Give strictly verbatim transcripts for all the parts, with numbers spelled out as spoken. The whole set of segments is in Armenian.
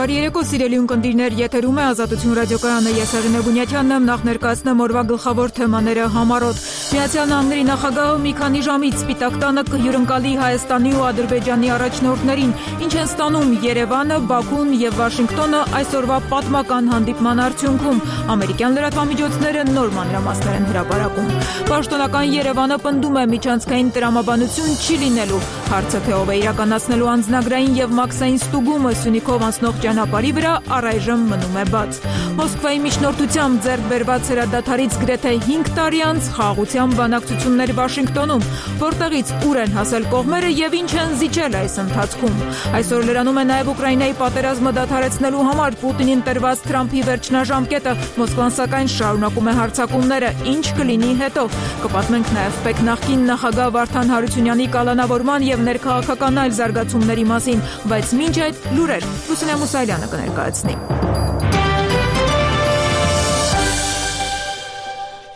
Բարի երեկո, սիրելի ունկնդիրներ, եթերում է Ազատություն ռադիոկայանը, ես Արինե Բունյաթյանն եմ, նախ ներկայացնեմ օրվա գլխավոր թեմաները համառոտ։ Միացյալ Նահանգների նախագահը մի քանի ժամից Սպիտակ տանը կհյուրընկալի Հայաստանի ու Ադրբեջանի առաջնորդներին, ինչ են ստանում Երևանը, Բաքուն եւ Վաշինգտոնը այսօրվա պատմական հանդիպման արդյունքում։ Ամերիկյան լրատվամիջոցները նոր մանրամասներ են հրապարակում։ Պաշտոնական Երևանը պնդում է միջանցքային տրամաբանություն չի լինելու։ Հարցը թե ով է իրականացնելու անձնագրային եւ մաքսային ստուգումը Սյունիքով անցնող ճանապարհի վրա առայժմ մնում է բաց։ Մոսկվայի միջնորդությամբ ձեռք բերված հրադադարից գրեթե հինգ տարի անց խաղաղության բանակցություններ Վաշինգտոնում, որտեղից ուր են հասել կողմերը եւ ինչ են զիջել այս ընթացքում։ Այսօր լրանում է նաեւ Ուկրաինայի պատերազմը դադարեցնելու համար Պուտինին տրված Թրամփի վերջնաժամկետը, Մոսկվան սակայն շարունակում է հարձակումները, ինչ կլինի հետո։ Կպատմենք նաեւ ՊԵԿ նախկին նախագահ Վարդան Հարությունյանի կալանավորման եւ ներքաղաքական այլ զարգացումների մասին, բայց մինչ այդ լուրեր Լուսինե Մուսայելյանը կներկայացնի։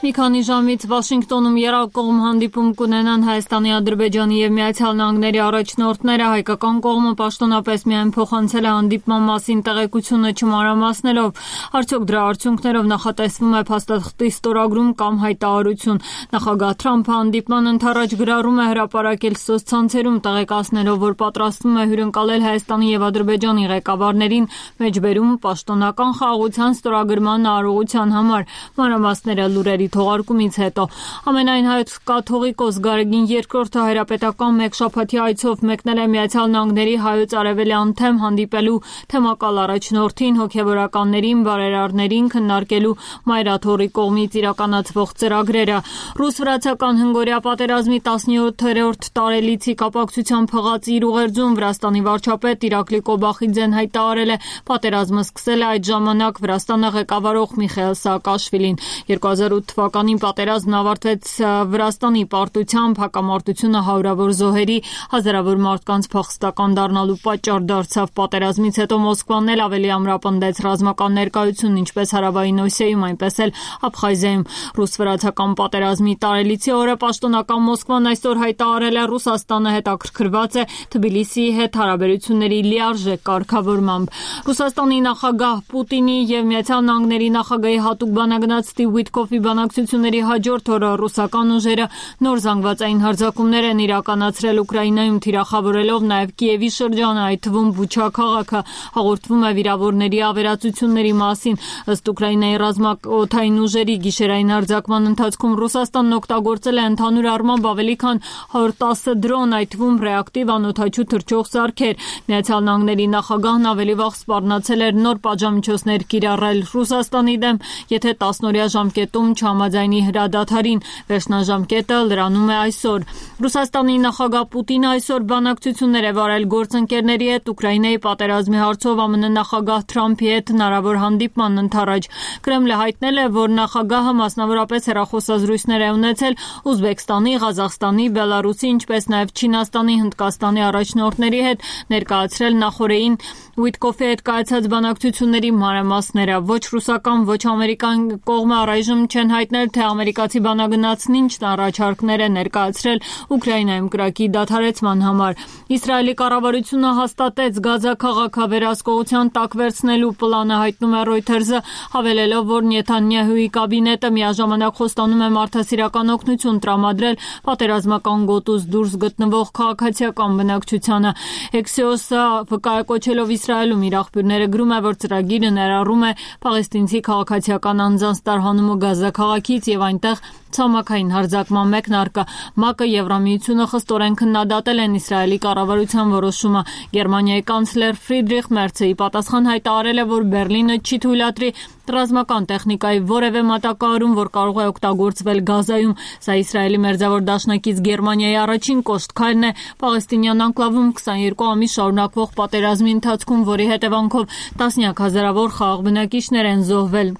Մի քանի ժամից Վաշինգտոնում երկկողմ հանդիպում կունենան Հայաստանի, Ադրբեջանի եւ Միացյալ Նահանգների առաջնորդները, հայկական կողմը պաշտոնապես միայն փոխանցել է հանդիպման մասին տեղեկությունը չմանրամասնելով, արդյոք դրա արդյունքներով նախատեսվում է փաստաթղթի ստորագրում կամ հայտարարություն։ Նախագահ Թրամփը հանդիպման ընթառաջ գրառում է հրապարակել սոցցանցերում, տեղեկացնելով, որ պատրաստվում է հյուրընկալել Հայաստանի եւ Ադրբեջանի ղեկավարներին, մեջբերում պաշտոնական խաղաղության ստորագրման արարողության համար։ Մանրամասները լուրերի թողարկումից հետո ամենայն հայոց կաթողիկոս Գարեգին երկրորդը հայրապետական մեկ շաբաթյա այցով մեկնել է Միացյալ Նահանգների հայոց արևելյան թեմ հանդիպելու թեմակալ առաջնորդին, հոգևորականներին, բարերարներին քննարկելու Մայրաթորի կողմից իրականացվող ծրագրերը։ Ռուս-վրացական հնգօրյա պատերազմի տասնյոթերորդ տարելիցի կապակցությամբ հղած իր ուղերձում Վրաստանի վարչապետ Իրակլի Կոբախիձեն հայտարարել է պատերազմը սկսել է այդ ժամանակ Վրաստանը ղեկավարող Միխայիլ Սաակաշվիլին։ երկու հազար ութ թվականին պատերազմն ավարտվեց Վրաստանի պարտությամբ, հակամարտությունը հարյուրավոր զոհերի, հազարավոր մարդկանց փախստական դառնալու պատճառ դարձավ։ Պատերազմից հետո Մոսկվան էլ ավելի ամրապնդեց ռազմական ներկայությունն ինչպես Հարավային Օսիայում, այնպես էլ Աբխազիայում։ Ռուս-վրացական պատերազմի տարելիցի օրը պաշտոնական Մոսկվան այսօր հայտարարել է Ռուսաստանը հետաքրքրված է Թբիլիսիի հետ հարաբերությունների լիարժեք կարգավորմամբ։ Ռուսաստանի նախագահ Պուտինի եւ Միացյալ Նահանգների նախագահի հատուկ բանագնաց Ստիվ Ուիթկոֆի բանակցությունների հաջորդ օրը ռուսական ուժերը նոր զանգվածային հարձակումներ են իրականացրել Ուկրաինայում, թիրախավորելով նաև Կիևի շրջանը, այդ թվում Բուչա քաղաքը։ Հաղորդվում է վիրավորների ավերածությունների մասին։ Ըստ Ուկրաինայի ռազմաօդային ուժերի գիշերային հարձակման ընթացքում Ռուսաստանն օգտագործել է ընդհանուր առմամբ ավելի քան հարյուր տասը դրոն, այդ թվում ռեակտիվ անօդաչու թռչող սարքեր։ Միացյալ Նահանգների նախագահն ավելի վաղ սպառնացել էր նոր պատժամիջոցներ կիրառել Ռուսաստանի դեմ, եթե տասնօրյա ժամկետում չհամաձայնի հրադադարին։ Վերջնաժամկետը լրանում է այսօր։ Ռուսաստանի նախագահ Պուտինը այսօր բանակցություններ է վարել գործընկերների հետ Ուկրաինայի պատերազմի հարցով ԱՄՆ նախագահ Թրամփի հետ հնարավոր հանդիպման ընթառաջ։ Կրեմլը հայտնել է, որ նախագահը մասնավորապես հեռախոսազրույցներ է ունեցել Ուզբեկստանի, Ղազախստանի, Բելարուսի, ինչպես նաև Չինաստանի, Հնդկաստանի առաջնորդների հետ, ներկայացրել նախորդին Ուիթկոֆի հետ կայացած բանակցությունների մանրամասները։ Ոչ ռուսական, ոչ ամերիկյան կողմը առայժմ չեն հայտնել, թե ամերիկացի բանագնացն ինչ առաջարկներ է ներկայացրել Ուկրաինայում կրակի դադարեցման համար։ Իսրայելի կառավարությունը հաստատեց Գազա քաղաքը վերահսկողության տակ վերցնելու պլանը, հայտնում է Reuters-ը, հավելելով, որ Նեթանյահուի կաբինետը միաժամանակ խոստանում է մարդասիրական օգնություն տրամադրել պատերազմական գոտուց դուրս գտնվող քաղաքացիական բնակչությանը։ Axios-ը վկայակոչելով Իսրայելում իր աղբյուրները գրում է, որ ծրագիրը ներառում է պաղեստինցի քաղաքացիական անձանց տարհանումը Գազա քաղաքից եւ այնտեղ ցամաքային հարձակման մեկնարկը։ ՄԱԿ-ը, Եվրամիությունը խստորեն քննադատել են Իսրայելի կառավարության որոշումը։ Գերմանիայի կանցլեր Ֆրիդրիխ Մերցը ի պատասխան հայտարարել է, որ Բեռլինը չի թույլատրի ռազմական տեխնիկայի որևէ մատակարարում, որ կարող է օգտագործվել Գազայում։ Սա Իսրայելի մերձավոր դաշնակից Գերմանիայի առաջին կոշտ քայլն է պաղեստինյան անկլավում քսաներկու ամիս շարունակվող պատերազմի ընթացքում, որի հետևանքով տասնյակ հազարավոր խաղաղ բնակիչներ են զոհվել։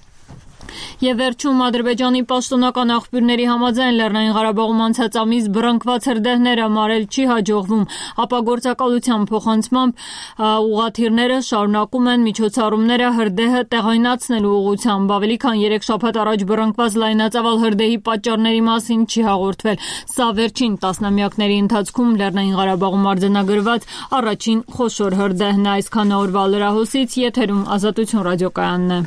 Եվ վերջում Ադրբեջանի պաշտոնական աղբյուրների համաձայն Լեռնային Ղարաբաղում անցած ամիս բռնկված հրդեհները մարել չի հաջողվում, ապա գործակալության փոխանցմամբ ուղղաթիռները շարունակում են միջոցառումները հրդեհը տեղայնացնելու ուղղությամբ։ Ավելի քան երեք շաբաթ առաջ բռնկված լայնածավալ հրդեհի պատճառների մասին չի հաղորդվել։ Սա վերջին տասնամյակների ընթացքում Լեռնային Ղարաբաղում արձանագրված առաջին խոշոր հրդեհն է։ Այսքան օրվա լրահոսից եթերում Ազատություն ռադիոկայանն է։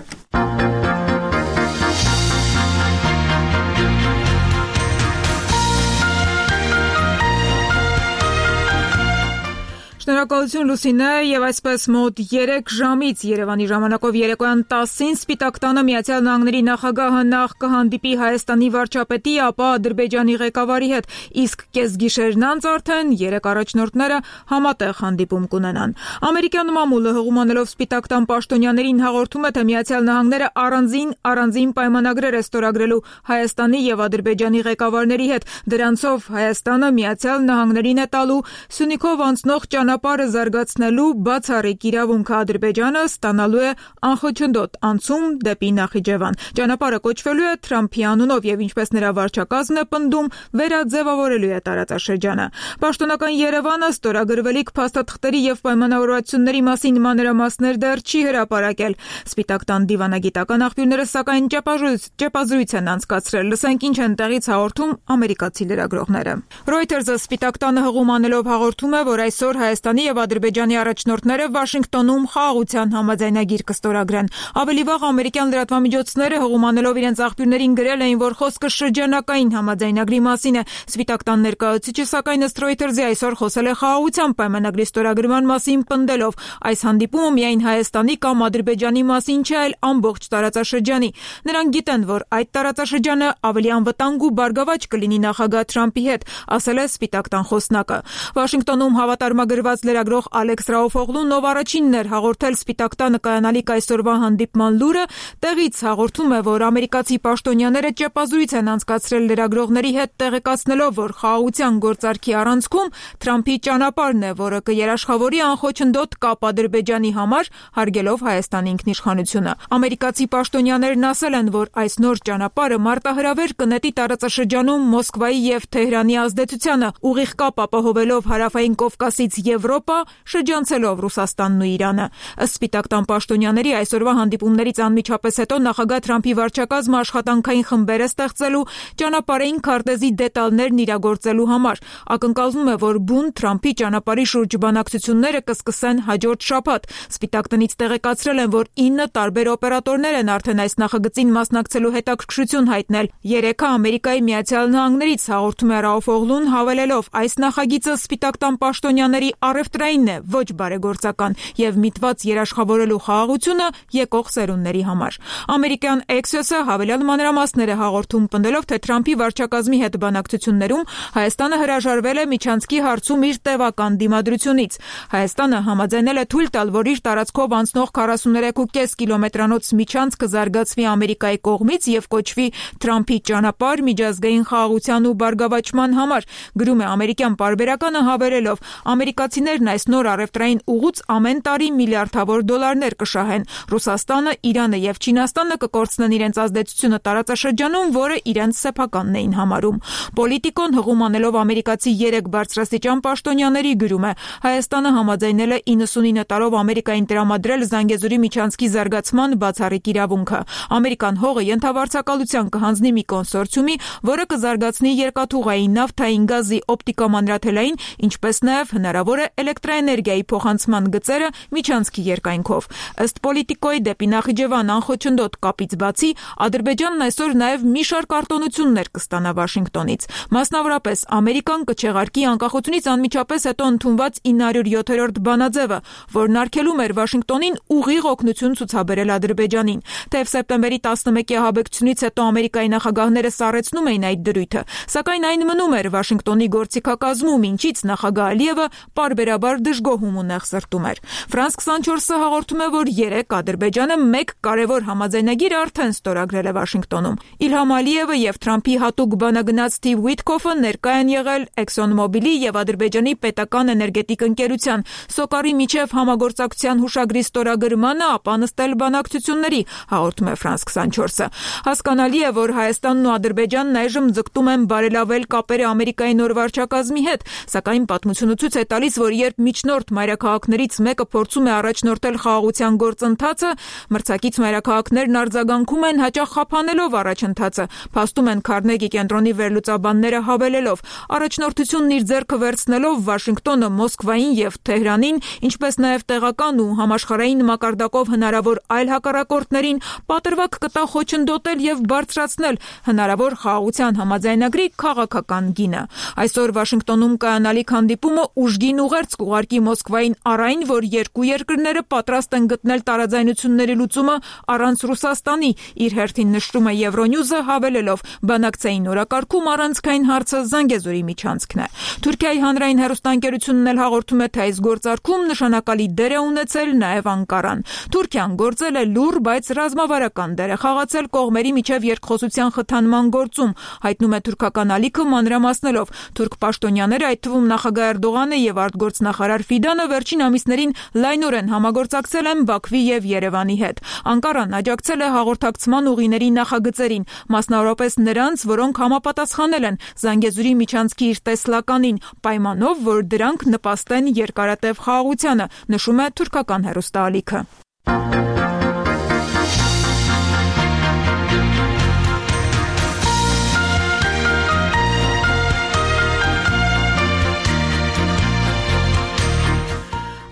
Շնորհակալություն Լուսինե, եւ այսպես մոտ երեք ժամից Երևանի ժամանակով երեկոյան տասին Սպիտակ տանը Միացյալ Նահանգների նախագահը նախ կհանդիպի Հայաստանի վարչապետի, ապա Ադրբեջանի ղեկավարի հետ, իսկ կեսգիշերն անց արդեն երեք առաջնորդները համատեղ հանդիպում կունենան։ Ամերիկյան մամուլը հղումանելով Սպիտակ տան պաշտոնյաներին հաղորդում է, թե Միացյալ Նահանգները առանձին առանձին պայմանագրեր է ստորագրելու Հայաստանի եւ Ադրբեջանի ղեկավարների հետ։ Դրանցով Հայաստանը Միացյալ Նահանգներին է տալու Սյունիքով անցնող ճանապարհը զարգացնելու բացառիկ իրավունքը, Ադրբեջանը ստանալու է անխոչնդոտ անցում դեպի Նախիջևան։ Ճանապարհը կոչվելու է Թրամփի անունով եւ ինչպես նրա վարչակազմն է պնդում, վերաձևավորելու է տարածաշրջանը։ Պաշտոնական Երևանը ստորագրվելիք փաստաթղթերի եւ պայմանավորվածությունների մասին մանրամասներ դեռ չի հրապարակել։ Սպիտակ տան դիվանագիտական աղբյուրները սակայն ճեպազրույց են անցկացրել։ Լսենք ինչ են տեղից հաղորդում ամերիկացի լրագրողները։ Reuters-ը Սպիտակ տանը հղում անելով հաղորդում է, որ այսօր Հայաստանի եւ Ադրբեջանի առաջնորդները Վաշինգտոնում խաղաղության համաձայնագիր կստորագրեն։ Ավելի վաղ ամերիկյան լրատվամիջոցները հղումանելով իրենց աղբյուրներին գրել էին, որ խոսքը շրջանակային համաձայնագրի մասին է։ Սպիտակ տան ներկայացուցիչը սակայն ըստ Reuters-ի այսօր խոսել է խաղաղության պայմանագրի ստորագրման մասին, պնդելով. այս հանդիպումը միայն Հայաստանի կամ Ադրբեջանի մասին չէ, այլ ամբողջ տարածաշրջանի։ Նրանք գիտեն, որ այդ տարածաշրջանը ավելի անվտանգ ու բարգավաճ կլինի նախագահ Թրամփի հետ, ասել է Սպիտակ տան խոսնակը։ Վաշինգտոնում հավատարմագրված լրագրող Ալեքս Ռաուֆօղլուն, ով առաջինն էր հաղորդել Սպիտակ տանը կայանալիք այսօրվա հանդիպման լուրը, տեղից հաղորդում է, որ ամերիկացի պաշտոնյաները ճեպազրույց են անցկացրել լրագրողների հետ, տեղեկացնելով, որ խաղաղության գործարքի առանցքում Թրամփի ճանապարհն է, որը կերաշխավորի անխոչնդոտ կապ Ադրբեջանի համար, հարգելով Հայաստանի ինքնիշխանությունը։ Ամերիկացի պաշտոնյաներն ասել են, որ այս նոր ճանապարհը մարտահրավեր կնետի տարածաշրջանում Մոսկվայի եւ Թեհրանի ազդեցությանը, ուղիղ կապ ապահովելով Հարավային Կովկասից Եվրոպա, շրջանցելով Ռուսաստանն ու Իրանը։ Ըստ Սպիտակ տան պաշտոնյաների այսօրվա հանդիպումներից անմիջապես հետո նախագահ Թրամփի վարչակազմը աշխատանքային խմբեր է ստեղծելու ճանապարհային քարտեզի դետալներն իրագործելու համար։ Ակնկալվում է, որ բուն Թրամփի ճանապարհի շուրջ բանակցությունները կսկսեն հաջորդ շաբաթ։ Սպիտակ տնից տեղեկացրել են, որ ինը տարբեր օպերատորներ են արդեն այս նախագծին մասնակցելու հետաքրքրություն հայտնել։ Երեքը Ամերիկայի Միացյալ Նահանգներից, հաղորդում է Ռաուֆօղլուն, հավելելով. այս նախագիծը Սպիտակ տան պաշտոնյաների առևտրայինն է, ոչ բարեգործական, եւ միտված երաշխավորելու խաղաղությունը եկող սերունդների համար։ Ամերիկյան Axios-ը հավելյալ մանրամասներ է հաղորդում, պնդելով, թե Թրամփի վարչակազմի հետ բանակցություններում Հայաստանը հրաժարվել է միջանցքի հարցում իր տևական դիմադրությունից։ Հայաստանը համաձայնել է թույլ տալ, որ իր տարածքով անցնող քառասուներեք կόμμα պենս կիլոմետրանոց միջանցքը զարգացվի Ամերիկայի կողմից եւ կոչվի Թրամփի ճանապարհ միջազգային խաղաղության ու բարգավաճման համար, գրում է ամերիկյան պարբերականը հավելելով. ամերիկացիներն այս նոր առևտրային ուղուց ամեն տարի միլիարդավոր դոլարներ կշահեն։ Ռուսաստանը, Իրանը եւ Չինաստանը կկորցնեն իրենց ազդեցությունը տարածաշրջանում, որը իրենց սեփականն էին համարում։ Պոլիտիկոն հղում անելով ամերիկացի երեք բարձրաստիճան պաշտոնյաների գրում է. Հայաստանը համաձայնել է իննսունինը տարով Ամերիկային տրամադրել Զանգեզուրի միջանցքի զարգացման բացառիկ իրավունքը։ Ամերիկան հողը ենթավարձակալության կհանձնի մի կոնսորցիումի, որը կզարգացնի երկաթուղային, նավթային, գազի, օպտիկամանրաթելային, ինչպես նաեւ հնարավոր է էլեկտրաէներգիայի փոխանցման գծերը միջանցքի երկայնքով։ Ըստ Պոլիտիկոյի դեպի Նախիջևան անխոչնդոտ կապից բացի, Ադրբեջանն այսօր նաեւ մի շարք արտոնություններ կստանա Վաշինգտոնից։ Մասնավորապես Ամերիկան կչեղարկի անկախությունից անմիջապես հետո ընդունված ինը հարյուր յոթերորդ բանաձևը, որն արգելում էր Վաշինգտոնին ուղիղ օգնություն ցուցաբերել Ադրբեջանին։ Թեև սեպտեմբերի տասնմեկի ահաբեկչությունից հետո Ամերիկայի նախագահները սառեցնում էին այդ դրույթը, սակայն այն մնում էր Վաշինգտոնի գործիքակազմում, ինչից նախագահ Ալիևը պարբեր պարբերաբար դժգոհում ու նեղսրտում էր։ Ֆրանս քսանչորսը հաղորդում է, որ երեկ Ադրբեջանը մեկ կարևոր համաձայնագիր արդեն ստորագրել է Վաշինգտոնում։ Իլհամ Ալիևը եւ Թրամփի հատուկ բանագնաց Սթիվ Ուիթկոֆը ներկա են եղել ExxonMobil-ի եւ Ադրբեջանի պետական էներգետիկ ընկերության Սոկարի միջև համագործակցության հուշագրի ստորագրմանը, ապա նստել բանակցությունների, հաղորդում է Ֆրանս քսանչորսը։ Հասկանալի է, որ Հայաստանն ու Ադրբեջանն այժմ ձգտում են բարելավել կապերը Ամերիկայի նոր վարչակազմի հետ, սակայն պատմությունը ցույց է տալիս, որ երբ միջնորդ մայրաքաղաքներից մեկը փորձում է առաջնորդել խաղաղության գործընթացը, մրցակից մայրաքաղաքներն արձագանքում են հաճախ խափանելով առաջընթացը, փաստում են Քարնեգի կենտրոնի վերլուծաբանները հավելելով. առաջնորդությունն իր ձեռքը վերցնելով Վաշինգտոնը Մոսկվային եւ Թեհրանին, ինչպես նաեւ տեղական ու համաշխարհային մակարդակով հնարավոր այլ հակառակորդներին պատրվակ կտա խոչընդոտել եւ բարձրացնել հնարավոր խաղաղության համաձայնագրի քաղաքական գինը։ Այսօր Վաշինգտոնում կայանալիք հանդիպումը ուժգին ուղերձ կուղարկի Մոսկվային առայն, որ երկու երկրները պատրաստ են գտնել տարաձայնությունների լուծումը առանց Ռուսաստանի, իր հերթին նշում է Euronews-ը հավելելով. բանակցային օրակարգում առանցքային հարցը Զանգեզուրի միջանցքն է։ Թուրքիայի հանրային հեռուստաընկերությունն էլ հաղորդում է, թե այս գործարքում նշանակալի դեր է ունեցել նաև Անկարան։ Թուրքիան գործել է լուռ, բայց ռազմավարական դեր է խաղացել կողմերի միջև երկխոսության խթանման գործում, հայտնում է թուրքական ալիքը մանրամասնելով. թուրք պաշտոնյաները, այդ թվում նախագահ Էրդողանը եւ արտգործնախարար Ֆիդանը վերջին ամիսներին լայնորեն համագործակցել են Բաքվի եւ Երևանի հետ։ Անկարան աջակցել է հաղորդակցման ուղիների նախագծերին, մասնավորապես նրանց, որոնք համապատասխանել են Զանգեզուրի միջանցքի իր տեսլականին, պայմանով, որ դրանք նպաստեն երկարատև խաղաղությանը, նշում է թուրքական հեռուստաալիքը։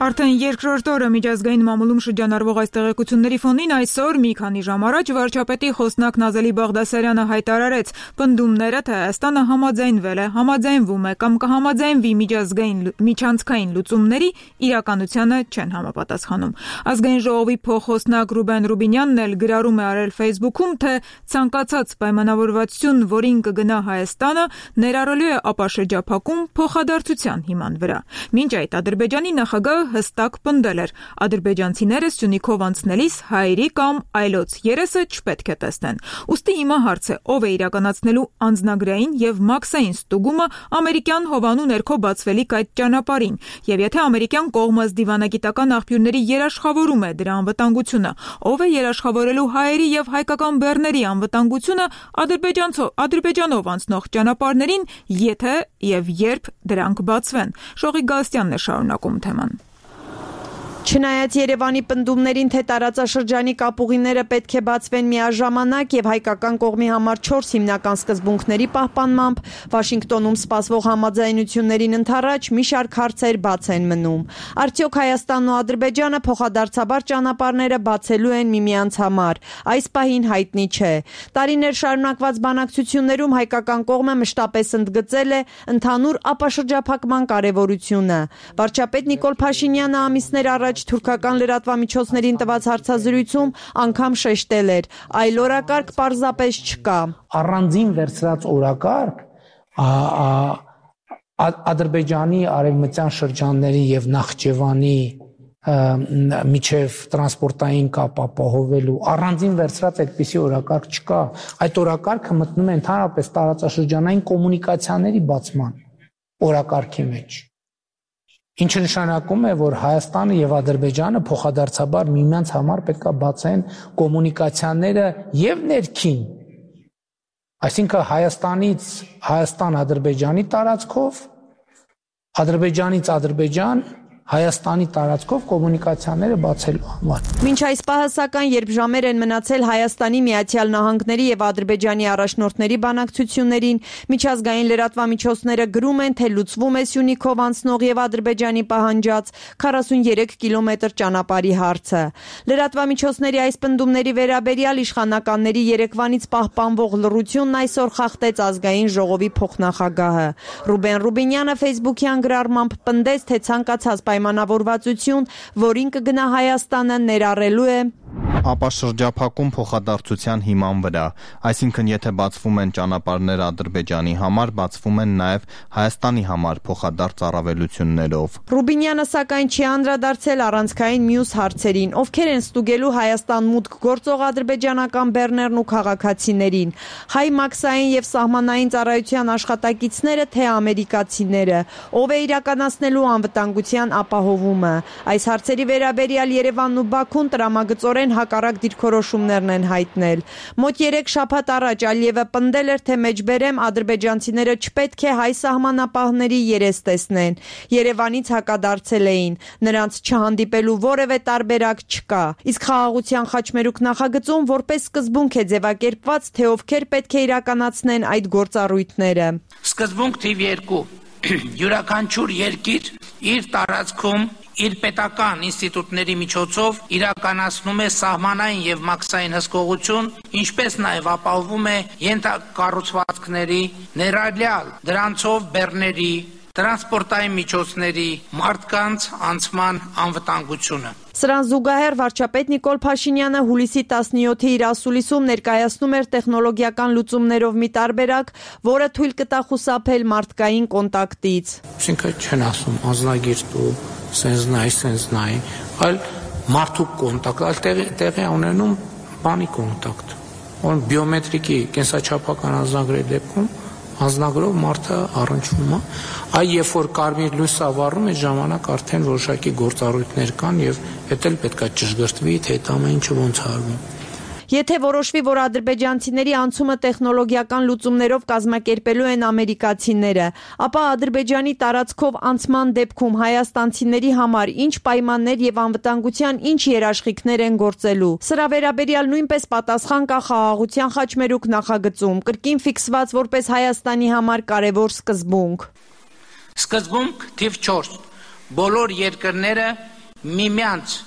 Արդեն երկրորդ օրը միջազգային մամուլում շրջանառվող այս տեղեկությունների ֆոնին այսօր մի քանի ժամ առաջ վարչապետի խոսնակ Նազելի Բաղդասարյանը հայտարարեց. պնդումները, թե Հայաստանը համաձայնվել է, համաձայնվում է կամ կհամաձայնվի միջազգային միջանցքային լուծումների, իրականությանը չեն համապատասխանում։ Ազգային ժողովի փոխխոսնակ Ռուբեն Ռուբինյանն էլ գրառում է արել Facebook-ում, թե ցանկացած պայմանավորվածություն, որին կգնա Հայաստանը, ներառելու է ապաշրջափակում փոխադարձության հիման վրա։ Մինչ այդ Ադրբեջանի նախագահը հստակ պնդել էր. ադրբեջանցիները Սյունիքով անցնելիս հայերի կամ այլոց երեսը չպետք է տեսնեն։ Ուստի հիմա հարց է, ով է իրականացնելու անձնագրային եւ մաքսային ստուգումը ամերիկյան հովանու ներքո բացվելիք այդ ճանապարհին, եւ եթե ամերիկյան կողմը դիվանագիտական աղբյուրների երաշխավորում է դրա անվտանգությունը, ով է երաշխավորելու հայերի եւ հայկական բեռների անվտանգությունը Ադրբեջանով անցնող ճանապարհներին, եթե եւ երբ դրանք բացվեն։ Շողիկ Գալստյանն է շարունակում թեման։ Չնայած Երևանի պնդումներին, թե տարածաշրջանի կապուղիները պետք է բացվեն միաժամանակ եւ հայկական կողմի համար չորս հիմնական սկզբունքների պահպանմամբ, Վաշինգտոնում սպասվող համաձայնություններին ընդառաջ մի շարք հարցեր բաց են մնում։ Արդյոք Հայաստանն ու Ադրբեջանը փոխադարձաբար ճանապարհները բացելու են միմյանց համար։ Այս պահին հայտնի չէ։ Տարիներ շարունակված բանակցություններում հայկական կողմը մշտապես ընդգծել է ընդհանուր ապաշրջափակման կարևորությունը։ Վարչապետ Նիկոլ Փաշինյանը ամիսներ առաջ թուրքական լրատվամիջոցներին տված հարցազրույցում անգամ շեշտել էր. այլ օրակարգ պարզապես չկա։ Առանձին վերցրած օրակարգ Ադրբեջանի արևմտյան շրջանների եւ Նախճեվանի միջև տրանսպորտային կապ ապահովելու առանձին վերցրած այդպիսի օրակարգ չկա։ Այդ օրակարգը մտնում է ընդհանրապես տարածաշրջանային կոմունիկացիաների բացման օրակարգի մեջ։ Ինչը նշանակում է, որ Հայաստանը եւ Ադրբեջանը փոխադարձաբար միմյանց համար պետք է բացեն կոմունիկացիաները եւ ներքին, այսինքն Հայաստանից Հայաստան-Ադրբեջանի տարածքով, Ադրբեջանից Ադրբեջան, Հայաստանի տարածքով կոմունիկացիաները բացելու համար։ Մինչ այս պահը սակայն, երբ ժամեր են մնացել Հայաստանի, Միացյալ Նահանգների եւ Ադրբեջանի առաջնորդների բանակցություններին, միջազգային լրատվամիջոցները գրում են, թե լուծվում է Սյունիքով անցնող եւ Ադրբեջանի պահանջած քառասուններեք կիլոմետր ճանապարհի հարցը։ Լրատվամիջոցների այս պնդումների վերաբերյալ իշխանականների երեկվանից պահպանվող լռությունն այսօր խախտեց Ազգային ժողովի փոխնախագահը։ Ռուբեն Ռուբինյանը Facebook-յան գրառմամբ պնդեց, թե ցանկացած պայմանավորվածություն, որին կգնա Հայաստանը, ներառելու է ապա շրջափակում փոխադարձության հիման վրա, այսինքն եթե բացվում են ճանապարհներ Ադրբեջանի համար, բացվում են նաև Հայաստանի համար փոխադարձ առավելություններով։ Ռուբինյանը սակայն չի անդրադարձել առանցքային մյուս հարցերին, ովքեր են ստուգելու Հայաստան մուտք գործող ադրբեջանական բեռներն ու քաղաքացիներին, հայ մաքսային եւ սահմանային ծառայության աշխատակիցները, թե ամերիկացիները, ով է իրականացնելու անվտանգության ապահովումը։ Այս հարցերի վերաբերյալ Երևանն ու Բաքուն տրամագծորեն հակառակ դիրքորոշումներն են հայտնել։ Մոտ երեք շաբաթ առաջ Ալիևը պնդել էր, թե մեջբերեմ ադրբեջանցիները չպետք է հայ սահմանապահների երես տեսնեն։ Երևանից հակադարձել էին, նրանց չհանդիպելու որևէ տարբերակ չկա։ Իսկ խաղաղության խաչմերուկ նախագծում որպես սկզբունք է ձևակերպված, թե ովքեր պետք է իրականացնեն այդ գործառույթները։ Սկզբունք թիվ երկու. յուրաքանչյուր երկիր իր տարածքում իր պետական ինստիտուտների միջոցով իրականացնում է սահմանային եւ մաքսային հսկողություն, ինչպես նաեւ ապահովում է ենթակառուցվածքների, ներառյալ դրանցով բեռների, տրանսպորտային միջոցների, մարդկանց անցման անվտանգությունը։ Սրան զուգահեռ վարչապետ Նիկոլ Փաշինյանը հուլիսի տասնյոթի իր ասուլիսում ներկայացնում էր տեխնոլոգիական լուծումներով մի տարբերակ, որը թույլ կտա խուսափել մարդկային կոնտակտից։ Այսինքն չեն ասում անձնագիր ու սենզնայ, սենզնայ, այլ մարդու կոնտակտ, այլ տեղի տեղի ունենում բանի կոնտակտ։ Ո՞ն բիոմետրիկի կենսաչափական անձնագրերի դեպքում անձնագրով մարդը առնչվում է, այ երբ որ կարմիր լույսը վառում է ժամանակ արդեն որոշակի գործառույթներ կան եւ դա էլ պետքա ճշգրտվի, թե այդ ամեն ինչը ոնց արվում։ Եթե որոշվի, որ ադրբեջանցիների անցումը տեխնոլոգիական լուծումներով կազմակերպելու են ամերիկացիները, ապա Ադրբեջանի տարածքով անցման դեպքում հայաստանցիների համար ինչ պայմաններ եւ անվտանգության ինչ երաշխիքներ են գործելու։ Սրա վերաբերյալ նույնպես պատասխան կա խաղաղության խաչմերուկ նախագծում, կրկին ֆիքսված որպես Հայաստանի համար կարևոր սկզբունք։ Սկզբունք թիվ չորս. բոլոր երկրները միմյանց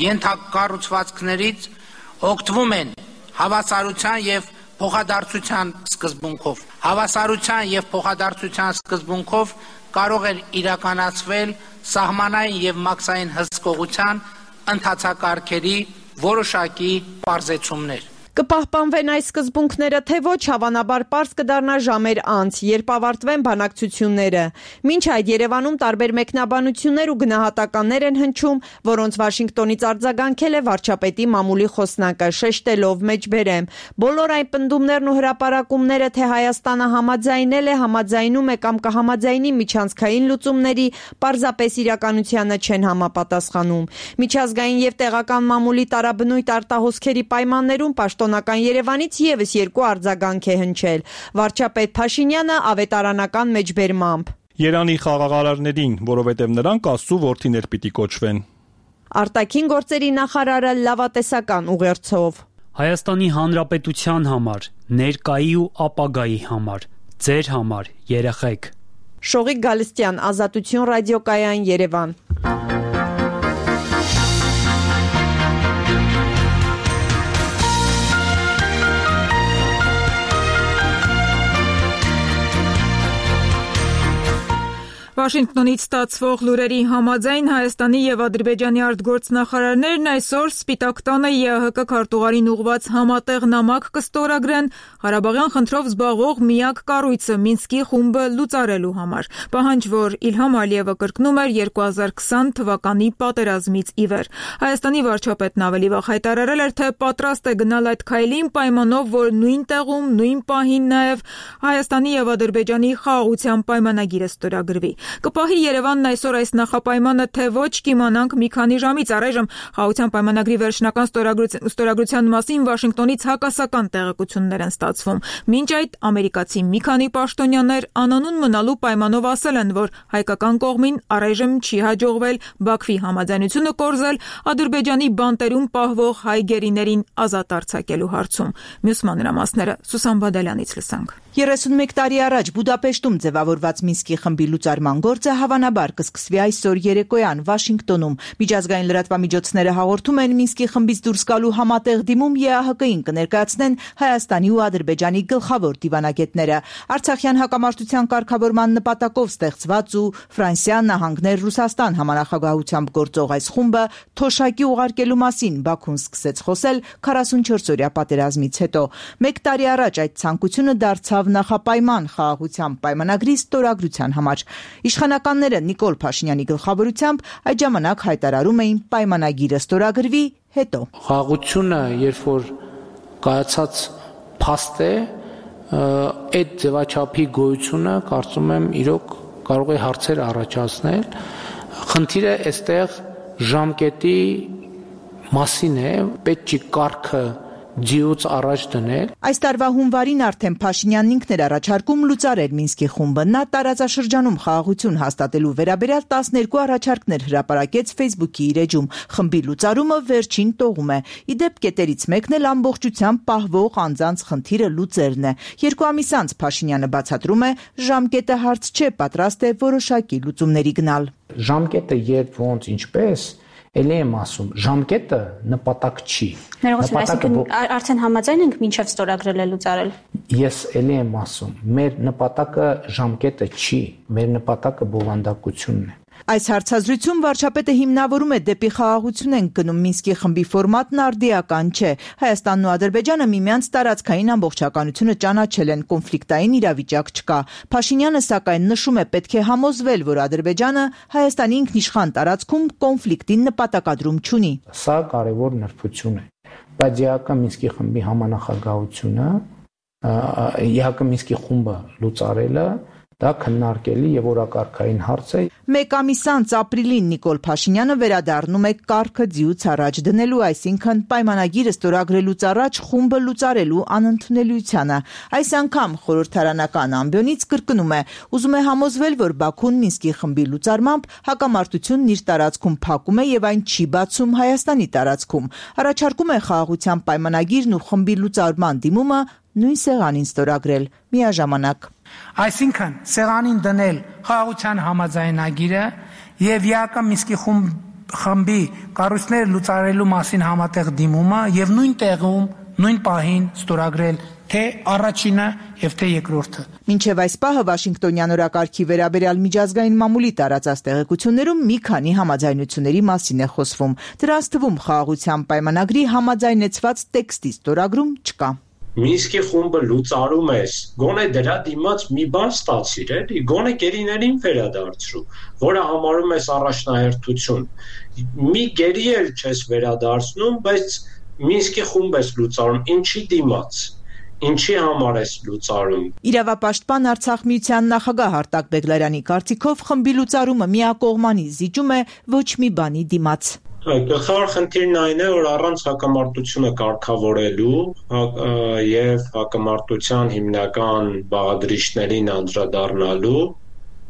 ենթակառուցվածքներից օգտվում են հավասարության եւ փոխադարձության սկզբունքով։ Հավասարության եւ փոխադարձության սկզբունքով կարող է իրականացվել սահմանային եւ մաքսային հսկողության ընթացակարգերի որոշակի պարզեցումներ։ Կպահպանվեն այս սկզբունքները, թե ոչ, հավանաբար պարզ կդառնա ժամեր անց, երբ ավարտվեն բանակցությունները։ Մինչ այդ Երևանում տարբեր մեկնաբանություններ ու գնահատականներ են հնչում, որոնց Վաշինգտոնից արձագանքել է վարչապետի մամուլի խոսնակը, շեշտելով մեջբերեմ. բոլոր այն պնդումներն ու հրապարակումները, թե Հայաստանը համաձայնել է, համաձայնում է կամ կհամաձայնի միջանցքային լուծումների, պարզապես իրականությանը չեն համապատասխանում։ Միջազգային եւ տեղական մամուլի տարաբնույթ արտահոսքերի պայմաններում Պաշտոնական Երևանից եւս երկու արձագանք է հնչել։ Վարչապետ Փաշինյանը ավետարանական մեջբերմամբ. Երանի խաղաղարարներին, որովհետև նրանք Աստծո որդիներ պիտի կոչվեն։ Արտաքին գործերի նախարարը լավատեսական ուղերձով. Հայաստանի Հանրապետության համար, ներկայի ու ապագայի համար, ձեր համար, երեխեք։ Շողիկ Գալստյան, Ազատություն ռադիոկայան, Երևան։ Վաշինգտոնից ստացվող լուրերի համաձայն Հայաստանի եւ Ադրբեջանի արտգործնախարարներն այսօր Սպիտակ տանը ԵԱՀԿ քարտուղարին ուղղված համատեղ նամակ կստորագրեն Ղարաբաղյան խնդրով զբաղվող միակ կառույցը Մինսկի խումբը լուծարելու համար։ Պահանջ, որ Իլհամ Ալիևը կրկնում էր երկու հազար քսան թվականի պատերազմից ի վեր։ Հայաստանի վարչապետն ավելի վաղ հայտարարել էր, թե պատրաստ է գնալ այդ քայլին պայմանով, որ նույն տեղում, նույն պահին նաեւ Հայաստանի եւ Ադրբեջանի խաղաղության պայմանագիրը ստորագրվի։ Կպահի Երևանն այսօր այս նախապայմանը, թե ոչ, կիմանանք մի քանի ժամից։ Առայժմ խաղաղության պայմանագրի վերջնական ստորագրության մասին Վաշինգտոնից հակասական տեղեկություններ են ստացվում։ Մինչ այդ ամերիկացի մի քանի պաշտոնյաներ անանուն մնալու պայմանով ասել են, որ հայկական կողմին առայժմ չի հաջողվել Բաքվի համաձայնությունը կորզել Ադրբեջանի բանտերում պահվող հայ գերիներին ազատ արձակելու հարցում։ Մյուս մանրամասները Սուսան Բադալյանից լսանք։ երեսունմեկ տարի առաջ Բուդապեշտում ձևավորված Մինսկի խմբի լուծարման ստորագրման գործը հավանաբար կսկսվի այսօր երեկոյան Վաշինգտոնում։ Միջազգային լրատվամիջոցները հաղորդում են Մինսկի խմբից դուրս գալու համատեղ դիմում Է Ա Հ Կ-ին կներկայացնեն Հայաստանի ու Ադրբեջանի գլխավոր դիվանագետները։ Արցախյան հակամարտության կարգավորման նպատակով ստեղծված ու Ֆրանսիա, Նահանգներ, Ռուսաստան համանախագահությամբ գործող այս խումբը թոշակի ուղարկելու մասին Բաքուն սկսեց խոսել քառասունչորս-օրյա պատերազմից հետո։ Մեկ տարի առաջ այդ ցանկությունը դարձավ նախապայման խաղաղության պայմանագրի ստորագրության համար։ Իշխանականները Նիկոլ Փաշինյանի գլխավորությամբ այդ ժամանակ հայտարարում էին պայմանագիրը ստորագրվի հետո։ Խաղաղությունը, երբ որ կայացած փաստ է, այդ ձևաչափի գոյությունը կարծում եմ իրոք կարող է հարցեր առաջացնել։ Խնդիրը այստեղ ժամկետի մասին է, պետք չի կարգը ձիուց առաջ դնել։ Այս տարվա հունվարին արդեն Փաշինյանն ինքն էր առաջարկում լուծարել Մինսկի խումբը։ Նա տարածաշրջանում խաղաղություն հաստատելու վերաբերյալ տասներկու առաջարկներ հրապարակեց Facebook-ի իր էջում։ Խմբի լուծարումը վերջին տողում է։ Ի դեպ կետերից մեկն էլ ամբողջությամբ պահվող անձանց խնդիրը լուծելն է։ Երկու ամիս անց Փաշինյանը բացատրում է, ժամկետը հարց չէ, պատրաստ է որոշակի լուծումների գնալ։ Ժամկետը երբ ոնց ինչպես Էլի եմ ասում, ժամկետը նպատակ չի։ Այսինքն արդեն համաձայն ենք մինչև ստորագրել է լուծարել։ Ես էլի եմ ասում, մեր նպատակը ժամկետը չի, մեր նպատակը բովանդակությունն է։ Այս հարցազրույցում վարչապետը հիմնավորում է դեպի խաղաղություն են գնում Մինսկի խմբի ֆորմատն արդիական չէ։ Հայաստանն ու Ադրբեջանը միմյանց տարածքային ամբողջականությունը ճանաչել են, կոնֆլիկտային իրավիճակ չկա։ Փաշինյանը սակայն նշում է, պետք է համոզվել, որ Ադրբեջանը Հայաստանի ինքնիշխան տարածքում կոնֆլիկտին նպատակադրում չունի։ Սա կարևոր նրբություն է, բայց Է Հ Կ Մինսկի խմբի համանախագահությունը, Է Հ Կ Մինսկի խումբը լուծարելը դա քննարկելի եւ օրակարգային հարց է։ Մեկ ամիս անց ապրիլին Նիկոլ Փաշինյանը վերադառնում է կարգը ձիուց առաջ դնելու, այսինքն պայմանագիրը ստորագրելուց առաջ խումբը լուծարելու անընդունելիությանը։ Այս անգամ խորհրդարանական ամբիոնից կրկնում է, ուզում է համոզվել, որ Բաքուն Մինսկի խմբի լուծարմամբ հակամարտությունն իր տարածքում փակում է եւ այն չի բացում Հայաստանի տարածքում։ Առաջարկում է խաղաղության պայմանագիրն ու խմբի լուծարման դիմումը նույն սեղանին ստորագրել միաժամանակ։ Այսինքն սեղանին դնել խաղաղության համաձայնագիրը եւ Է Ա Կ Մինսկի խմբի կառույցները լուծարելու մասին համատեղ դիմումը եւ նույն տեղում, նույն պահին ստորագրել թե առաջինը եւ թե երկրորդը։ Մինչև այս պահը Վաշինգտոնյան օրակարգի վերաբերյալ միջազգային մամուլի տարածած տեղեկություններում մի քանի համաձայնությունների մասին է խոսվում։ Դրանց թվում խաղաղության պայմանագրի համաձայնեցված տեքստի ստորագրում չկա։ Մինսկի խումբը լուծարում ես, գոնե դրա դիմաց մի բան ստացիր, էլի, գոնե գերիներին վերադարձրու, որը համարում ես առաջնահերթություն։ Մի գերի էլ չես վերադարձնում, բայց Մինսկի խումբ ես լուծարում, ինչի դիմաց, ինչի համար ես լուծարում։ Իրավապաշտպան Արցախ միության նախագահ Արտակ Բեգլարյանի կարծիքով խմբի լուծարումը միակողմանի զիջում է ոչ մի բանի դիմաց։ Գլխավոր խնդիրն այն է, որ առանց հակամարտությունը կարգավորելու եւ հակամարտության հիմնական բաղադրիչներին անդրադառնալու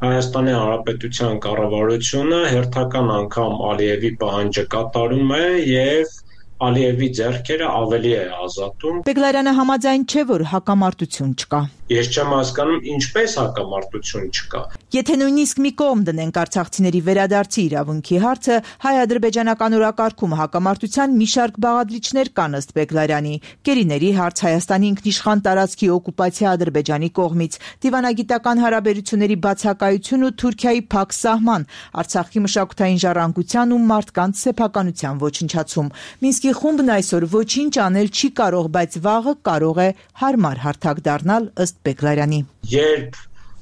Հայաստանի Հանրապետության կառավարությունը հերթական անգամ Ալիևի պահանջը կատարում է եւ Ալիևի ձեռքերը ավելի է ազատում։ Բեգլարյանը համաձայն չէ, որ հակամարտություն չկա։ Ես չեմ հասկանում, ինչպես հակամարտություն չկա։ Եթե նույնիսկ մի կողմ դնենք արցախցիների վերադարձի իրավունքի հարցը, հայ-ադրբեջանական օրակարգում հակամարտության մի շարք բաղադրիչներ կան ըստ Բեգլարյանի։ Գերիների հարց, Հայաստանի ինքնիշխան տարածքի օկուպացիա Ադրբեջանի կողմից, դիվանագիտական հարաբերությունների բացակայություն ու Թուրքիայի փակ սահման, Արցախի մշակութային ժառանգության ու մարդկանց սեփականության ոչնչացում։ Մինսկի խումբն այսօր ոչինչ անել չի կարող, բայց վաղը կարող է հարմար հարթակ դառնալ ըստ Բեգլարյանի։ Երբ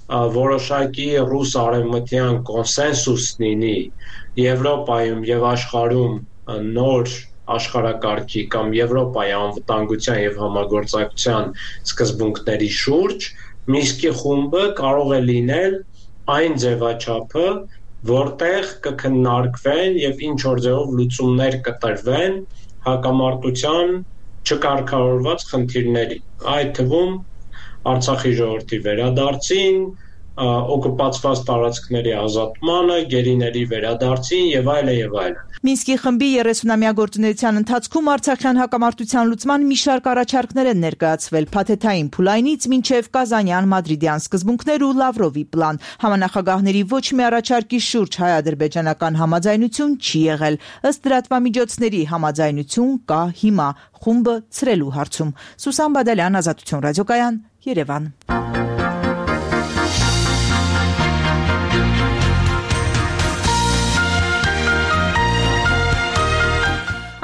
որոշակի ռուս արևմտյան կոնսենսուս լինի Եվրոպայում եւ աշխարհում նոր աշխարհակարգի կամ Եվրոպայի անվտանգության եւ համագործակցության սկզբունքների շուրջ, Մինսկի խումբը կարող է լինել այն ձևաչափը, որտեղ կքննարկվեն եւ ինչ որ ձևով լուծումներ կտրվեն հակամարտության չկարգավորված խնդիրների։ Այդ թվում Արցախի ժողովրդի վերադարձին, օկուպացված տարածքների ազատմանը, գերիների վերադարձին եւ այլն եւ այլն։ Մինսկի խմբի երեսունամյա գործունեության ընթացքում Արցախյան հակամարտության լուծման մի շարք առաջարկներ են ներկայացվել՝ փաթեթային փուլայնից մինչև Կազանյան մադրիդյան սկզբունքներ ու Լավրովի պլան։ Համանախագահների ոչ մի առաջարկի շուրջ հայ-ադրբեջանական համաձայնություն չի եղել։ Ըստ լրատվամիջոցների համաձայնություն կա հիմա խումբը ցրելու հարցում։ Սուսան Բադալյան, Ազատություն ռադիոկայան, Երևան։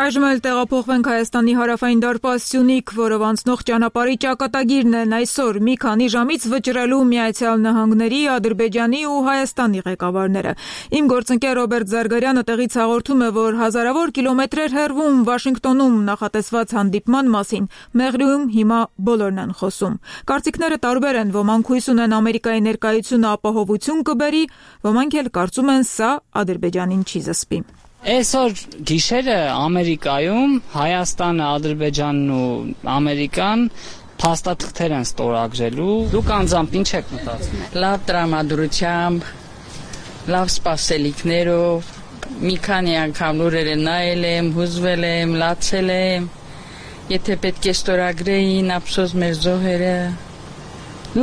Այժմ էլ տեղափոխվենք Հայաստանի հարավային դարպաս Սյունիք, որով անցնող ճանապարհի ճակատագիրն են այսօր մի քանի ժամից վճռելու Միացյալ Նահանգների, Ադրբեջանի ու Հայաստանի ղեկավարները։ Իմ գործընկեր Ռոբերտ Զարգարյանը տեղից հաղորդում է, որ հազարավոր կիլոմետրեր հեռվում Վաշինգտոնում նախատեսված հանդիպման մասին Մեղրիում հիմա բոլորն են խոսում։ Կարծիքները տարբեր են, ոմանք հույս ունեն Ամերիկայի ներկայությունը ապահովություն կբերի, ոմանք էլ կարծում են սա Ադրբեջանին չի զսպի։ Այսօր գիշերը Ամերիկայում Հայաստանը, Ադրբեջանն ու Ամերիկան փաստաթղթեր են ստորագրելու։ Դուք անձամբ ինչ եք մտածում։ Լավ տրամադրությամբ, լավ սպասելիքներով, մի քանի անգամ լուրերը նայել եմ, հուզվել եմ, լացել եմ։ Եթե պետք է ստորագրեին ափսոս մեր զոհերը։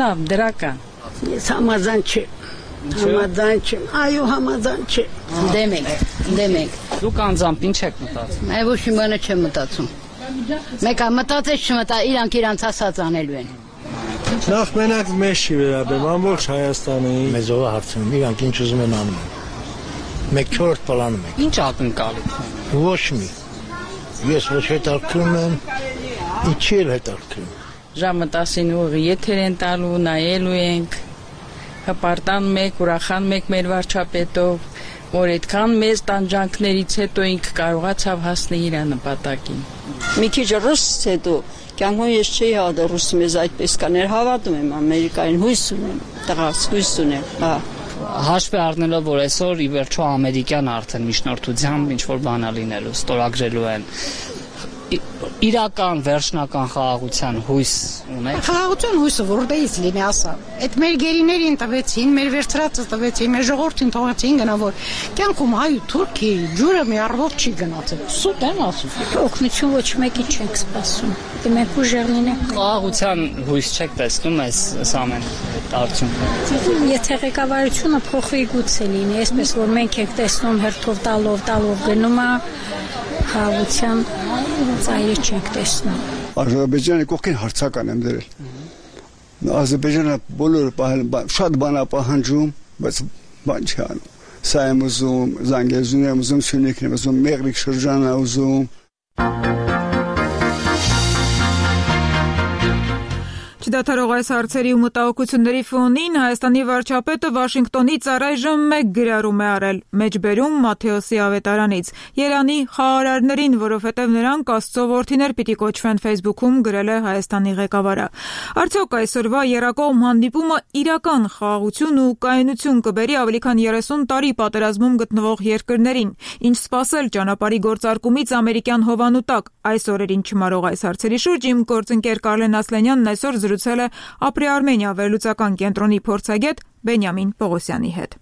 Լավ, դրական։ Ես համաձայն չեմ։ Համաձայն չեմ, այո համաձայն չեմ։ Դեմ եք, դեմ եք։ Դուք անձամբ ինչ եք մտածում։ Այ ոչ մի բան չեմ մտածում։ Մեկը մտածես չմտա, իրանք իրանց ասած անելու են։ Նախ մենակ մեզ չի վերաբերում, ամբողջ Հայաստանի։ Մեզ ով հարցնում, իրանք ինչ ուզում են անում։ Մեկ չորրորդ պլանում ենք։ Ինչ ակնկալիք։ Ոչ մի։ Ես ոչ հետաքրում եմ, ինչի էլ հետաքրում։ Ժամը տասին ուղի եթեր են տալու, նայելու ենք։ Հպարտան մեկ, ուրախան մեկ մեր վարչապետով, որ այդքան մեծ տանջանքներից հետո ինքը կարողացավ հասնել իր նպատակին։ Մի քիչ ռուսից հետո կյանքում ես չէի հավատում ռուսը մեզ այդպես կաներ, հավատում եմ Ամերիկային, հույս ունեմ, տղաս, հույս ունեմ, հա։ Հաշվի առնելով, որ այսօր ի վերջո ամերիկյան արդեն միջնորդությամբ ինչ որ բան լինելու, ստորագրելու են իրական վերջնական խաղաղության հույս ունեք։ Խաղաղության հույսը որտեղից լինի, ասա։ Այդ մեր գերիներին տվեցին, մեր վերցրածը տվեցին, մեր ժողովրդին թողեցին գնա, որ կյանքում հայ ու թուրքի ջուրը մի առվով չի գնացել։ Սուտ եմ ասում։ Օգնություն ոչ մեկի չենք սպասում։ Դե մենք ուժեղ լինենք։ Խաղաղության հույս չեք տեսնում այս ամեն արդյունքում։ Եթե ղեկավարությունը փոխվի գուցե լինի, այսպես որ մենք ենք տեսնում հերթով տալով, տալով գնում է խաղաղության ծայրը չենք տեսնում։ Ադրբեջանը կողքին հարցական եմ դրել։ Ադրբեջանը բոլորը շատ բան է պահանջում, բայց բան չի անում։ Սա եմ ուզում, Զանգեզուրն եմ ուզում, Սյունիքն եմ ուզում, Մեղրիկ շրջանն եմ ուզում։ Չդադարող այս հարցերի ու մտահոգությունների ֆոնին Հայաստանի վարչապետը Վաշինգտոնից առայժմ մեկ գրառում է արել մեջբերում Մաթեոսի ավետարանից։ Երանի խաղարարներին, որովհետև նրանք Աստծո որդիներ պիտի կոչվեն, Facebook-ում գրել է Հայաստանի ղեկավարը։ Արդյոք այսօրվա երակողմ հանդիպումը իրական խաղաղություն ու կայունություն կբերի ավելի քան երեսուն տարի պատերազմում գտնվող երկրներին։ Ինչ սպասել ճանապարհի գործարկումից ամերիկյան հովանու տակ։ Այս օրերին չմարող այս հարցերի շուրջ իմ գործընկեր Կարլեն Ասլանյանն այսօր զրուցել է Ապրի Արմենիա վերլուծական կենտրոնի փորձագետ Բենյամին Պողոսյանի հետ։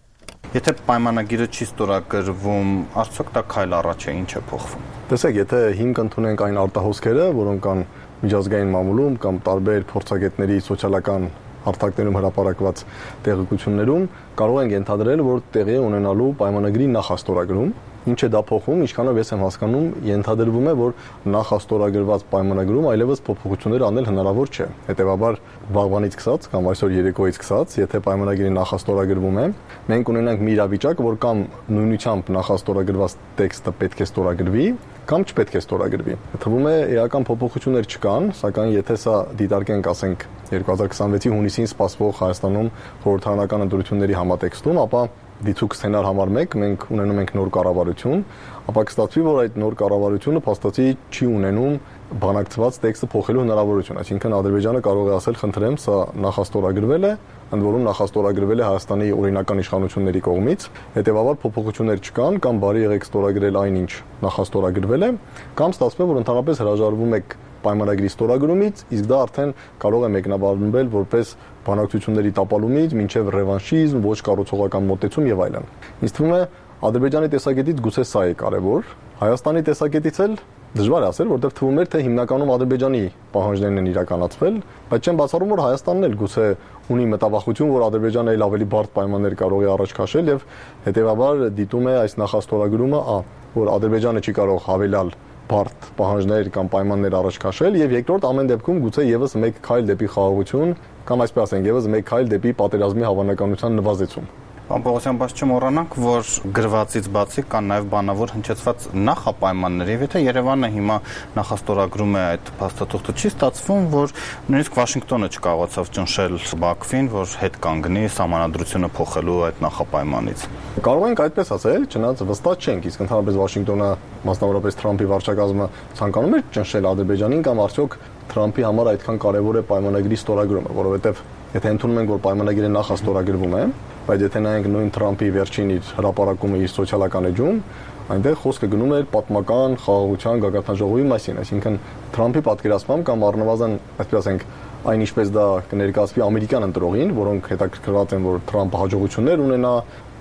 Եթե պայմանագիրը չի ստորագրվում, արդյոք դա քայլ առաջ է, ինչ է փոխվում։ Տեսեք, եթե հիմք ընդունենք այն արտահոսքերը, որոնք կան միջազգային մամուլում կամ տարբեր փորձագետների սոցիալական հարթակներում հրապարակված տեղեկություններում, կարող ենք ենթադրել, որ տեղի է ունենալու պայմանագրի նախաստորագրում։ Ինչ է դա փոխում, ինչքանով ես եմ հասկանում, ենթադրվում է, որ նախաստորագրված պայմանագրում այլևս փոփոխություններ անել հնարավոր չէ։ Հետևաբար, վաղվանից սկսած կամ այսօր երեկոյից սկսած, եթե պայմանագիրը նախաստորագրվում է, մենք ունենանք մի իրավիճակ, որ կամ նույնությամբ նախաստորագրված տեքստը պետք է ստորագրվի, կամ չպետք է ստորագրվի։ Թվում է էական փոփոխություններ չկան, սակայն եթե սա դիտարկենք, ասենք երկու հազար քսանվեցի հունիսին սպասվող Հայաստանում խորհրդարանական ընտրությունների համատեքստում, ապա դիցուկ սցենար համար մեկ մենք ունենում ենք նոր կառավարություն, ապա կստացվի, որ այդ նոր կառավարությունը փաստացի չի ունենում բանակցված տեքստը փոխելու հնարավորություն, այսինքն Ադրբեջանը կարող է ասել, խնդրեմ, սա նախաստորագրվել է, ընդ որում նախաստորագրվել է Հայաստանի օրինական իշխանությունների կողմից, հետևաբար փոփոխություններ չկան, կամ բարի եղեք ստորագրել այն, ինչ նախաստորագրվել է, կամ ստացվում է, որ ընդհանրապես հրաժարվում եք պայմանագրի ստորագրումից, իսկ դա արդեն կարող է մեկնաբանվել որպես բանակցությունների տապալումից մինչև ռևանշիզմ, ոչ կառուցողական մոտեցում եւ այլն։ Ինձ թվում է Ադրբեջանի տեսակետից գուցե սա է կարևոր, Հայաստանի տեսակետից էլ դժվար է ասել, որտեղ թվում էր, թե հիմնականում Ադրբեջանի պահանջներն են իրականացվել, բայց չեմ բացառում, որ Հայաստանն էլ գուցե ունի մտավախություն, որ Ադրբեջանը էլ ավելի բարդ պայմաններ կարող է առաջ քաշել եւ հետեւաբար դիտում է այս նախաստորագրումը, ա, որ Ադրբեջանը չի կարող հավելյալ բարդ պահանջներ կամ պայմաններ առաջ քաշել եւ երկրորդ ամեն դեպքում գուցե եւս մեկ քայլ դեպի խաղաղություն կամ այսպես ասենք եւս մեկ քայլ դեպի պատերազմի հավանականության նվազեցում։ Պարոն Պողոսյան, բայց չմոռանանք, որ գրվածից բացի կան նաև բանավոր հնչեցված նախապայմաններ, եւ եթե Երևանը հիմա նախաստորագրում է այդ փաստաթուղթը, չի ստացվում, որ նույնիսկ Վաշինգտոնը չկարողացավ ճնշել Բաքվին, որ հետ կանգնի սահմանադրությունը փոխելու այդ նախապայմանից։ Կարող ենք այդպես ասել, չնայած վստահ չենք, իսկ ընդհանրապես Վաշինգտոնը, մասնավորապես Թրամփի վարչակազմը ցանկանում է ճնշել Ադրբեջանին կամ արդյոք Թրամփի համար այդքան կարևոր է պայմանագրի ստորագրումը, որովհետև եթե ընդունում ենք, որ պայմանագիրը նախաստորագրվում է, բայց եթե նայենք նույն Թրամփի վերջին իր հրապարակումը իր սոցիալական էջում, այնտեղ խոսքը գնում էր պատմական խաղաղության գագաթնաժողովի մասին, այսինքն Թրամփի պատկերացմամբ կամ առնվազն, այսպես ասենք, այն ինչպես դա կներկայացվի ամերիկյան ընտրողին, որոնք հետաքրքրված են, որ Թրամփը հաջողություններ ունենա,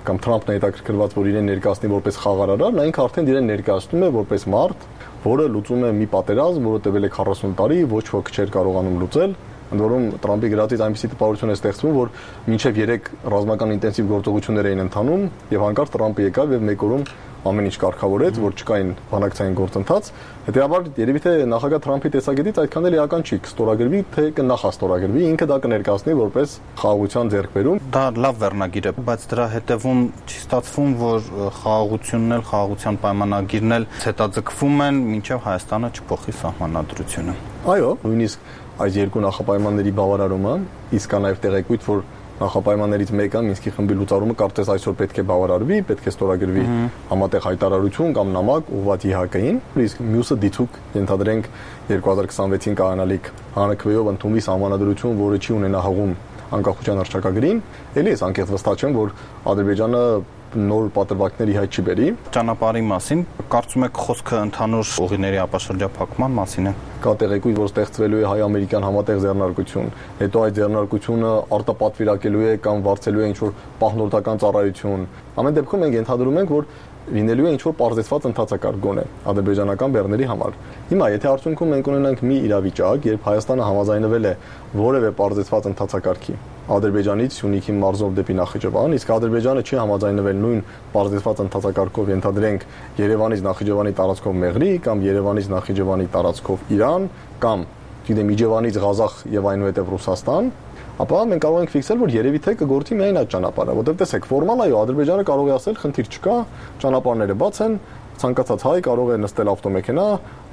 կամ Թրամփն է հետաքրքրված, որ իրեն ներկայացնի որպես խաղարարար, նա ինքը արդեն իրեն ներկայացնում է որպես մարդ, որը լուծում է մի պատերազմ, որը տևել է քառասուն տարի, ոչ ոք չէր կարողանում լուծել, ընդ որում Թրամփի գրածից այնպիսի տպավորություն է ստեղծվում, որ մինչև երեք ռազմական ինտենսիվ գործողություններ էին ընթանում, եւ հանկարծ Թրամփը եկավ եւ մեկ օրում ամեն ինչ կարգավորեց, որ չկային բանակցային գործընթաց։ Հետեւաբար երևի թե նախագահ Թրամփի տեսակետից այդքան էլ էական չի կստորագրվի, թե կնախաստորագրվի, ինքը դա կներկայացնի որպես խաղաղության ձեռքբերում։ Դա լավ վերնագիր է, բայց դրա հետևում չի ստացվում, որ խաղաղությունն էլ, խաղաղության պայմանագիրն էլ հետաձգվում են, մինչև Հայաստանը չփոխի սահմանադրությունը։ Այո, նույնիսկ այս երկու նախապայմանների բավարարումը, իսկ կա նաև տեղեկույթ, որ նախապայմաններից մեկը Մինսկի խմբի լուծարումը կարծես այսօր պետք է բավարարվի, պետք է ստորագրվի համատեղ հայտարարություն կամ նամակ ուղղված ի ՀԱԿ-ին, իսկ մյուսը դիցուկ ենթադրենք երկու հազար քսանվեցին կայանալիք հանրաքվեով ընդունվի սահմանադրություն, որը չի ունենա հղում անկախության հռչակագրին, ելի ես անկեղծ վստահ չեմ, որ Ադրբեջանը նոր պատրվակների հայտ չի բերի։ Ճանապարհի մասին կարծում եք խոսքը ընդհանուր ուղիների ապաշրջափակման մասին է։ Կա տեղեկույթ, որ ստեղծվելու է հայ-ամերիկյան համատեղ ձեռնարկություն, հետո այդ ձեռնարկությունը արտապատվիրակելու է կամ վարձելու է ինչ-որ պահնորդական ծառայություն։ Ամեն դեպքում մենք ենթադրում ենք, որ լինելու է ինչ-որ պարզեցված ընթացակարգ գոնե ադրբեջանական բեռների համար։ Հիմա եթե արդյունքում մենք ունենանք մի իրավիճակ, երբ Հայաստանը համաձայնվել է որևէ պարզեցված ընթացակարգի Ադրբեջանից Սյունիքի մարզով դեպի Նախիջևան, իսկ Ադրբեջանը չի համաձայնվել նույն պարզեցված ընթացակարգով ենթադրենք Երևանից Նախիջևանի տարածքով Մեղրի կամ Երևանից Նախիջևանի տարածքով Իրան կամ գիտեմ Իջևանից Ղազախ եւ այնուհետեւ Ռուսաստան, ապա մենք կարող ենք ֆիքսել, որ երևի թե կգործի միայն այդ ճանապարհը, որտեղ տեսեք, ֆորմալ այո, Ադրբեջանը կարող է ասել, խնդիր չկա, ճանապարհները բաց են, ցանկացած հայ կարող է նստել ավտոմեքենա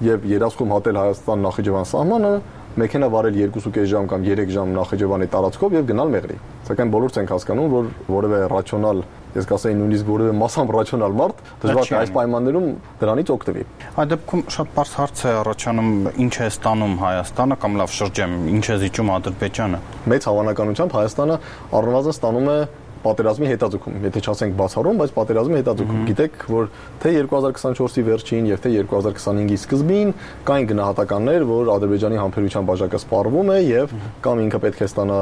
եւ երասխում հատել Հայաստան-Նախիջևան սահմանը, մեքենա վարել երկու կես ժամ կամ երեք ժամ Նախիջևանի տարածքով եւ գնալ Մեղրի։ Սակայն բոլորս ենք հասկանում, որ որևէ ռացիոնալ, ես կասեի նույնիսկ որևէ մասամբ ռացիոնալ մարդ դժվար է այս պայմաններում դրանից օգտվի։ Այդ դեպքում շատ բարձ հարց է առաջանում, ինչ է ստանում Հայաստանը կամ լավ շրջեմ, ինչ է զիջում Ադրբեջանը։ Մեծ հավանականությամբ Հայաստանը առնվազն ստանում է պատերազմի հետաձգում, եթե չասենք բացառում, բայց պատերազմի հետաձգում։ Գիտեք, որ թե երկու հազար քսանչորսի վերջին եւ թե երկու հազար քսանհինգի սկզբին կային գնահատականներ, որ Ադրբեջանի համբերության բաժակը սպառվում է եւ կամ ինքը պետք է ստանա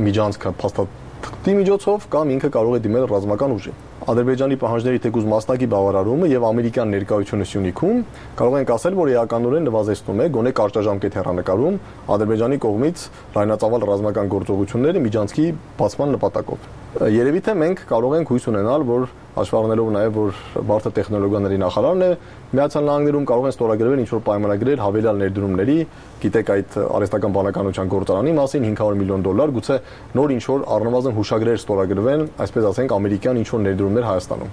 միջանցքը փաստաթղթի միջոցով, կամ ինքը կարող է դիմել ռազմական ուժի։ Ադրբեջանի պահանջների թեկուզ մասնակի բավարարումը եւ ամերիկյան ներկայությունը Սյունիքում կարող ենք ասել, որ էականորեն նվազեցնում է գոնե կարճաժամկետ հեռանկարում Ադրբեջանի կողմից լայնածավալ ռազմական գործողությունների միջանցքի բացման նպատակով։ Երևի թե մենք կարող ենք հույս ունենալ, որ հաշվառնելով նաև որ բարդ տեխնոլոգիաների նախարարն է Միացյալ Նահանգներում կարող են ստորագրվել ինչ-որ պայմանագրեր հավելյալ ներդրումների, գիտեք այդ արհեստական բանականության գործարանի մասին հինգ հարյուր միլիոն դոլար, գուցե նոր ինչ-որ առնվազն հուշագրեր ստորագրվեն, այսպես ասենք ամերիկյան ինչ-որ ներդրումներ Հայաստանում։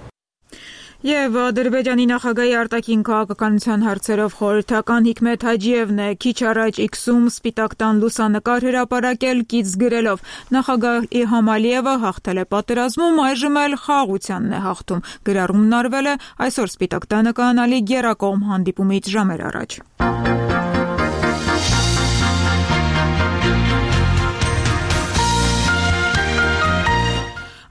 Եվ Ադրբեջանի նախագահի արտաքին քաղաքականության հարցերով խորհրդական Հիկմեթ Հաջիևն է քիչ առաջ X-ում Սպիտակ տան լուսանկար հրապարակել կից գրելով. նախագահ Իլհամ Ալիևը հաղթել է պատերազմում, այժմ էլ խաղաղությանն է հաղթում։ Գրառումն արվել է այսօր Սպիտակ տանը կայանալի գերակողմ հանդիպումից ժամեր առաջ։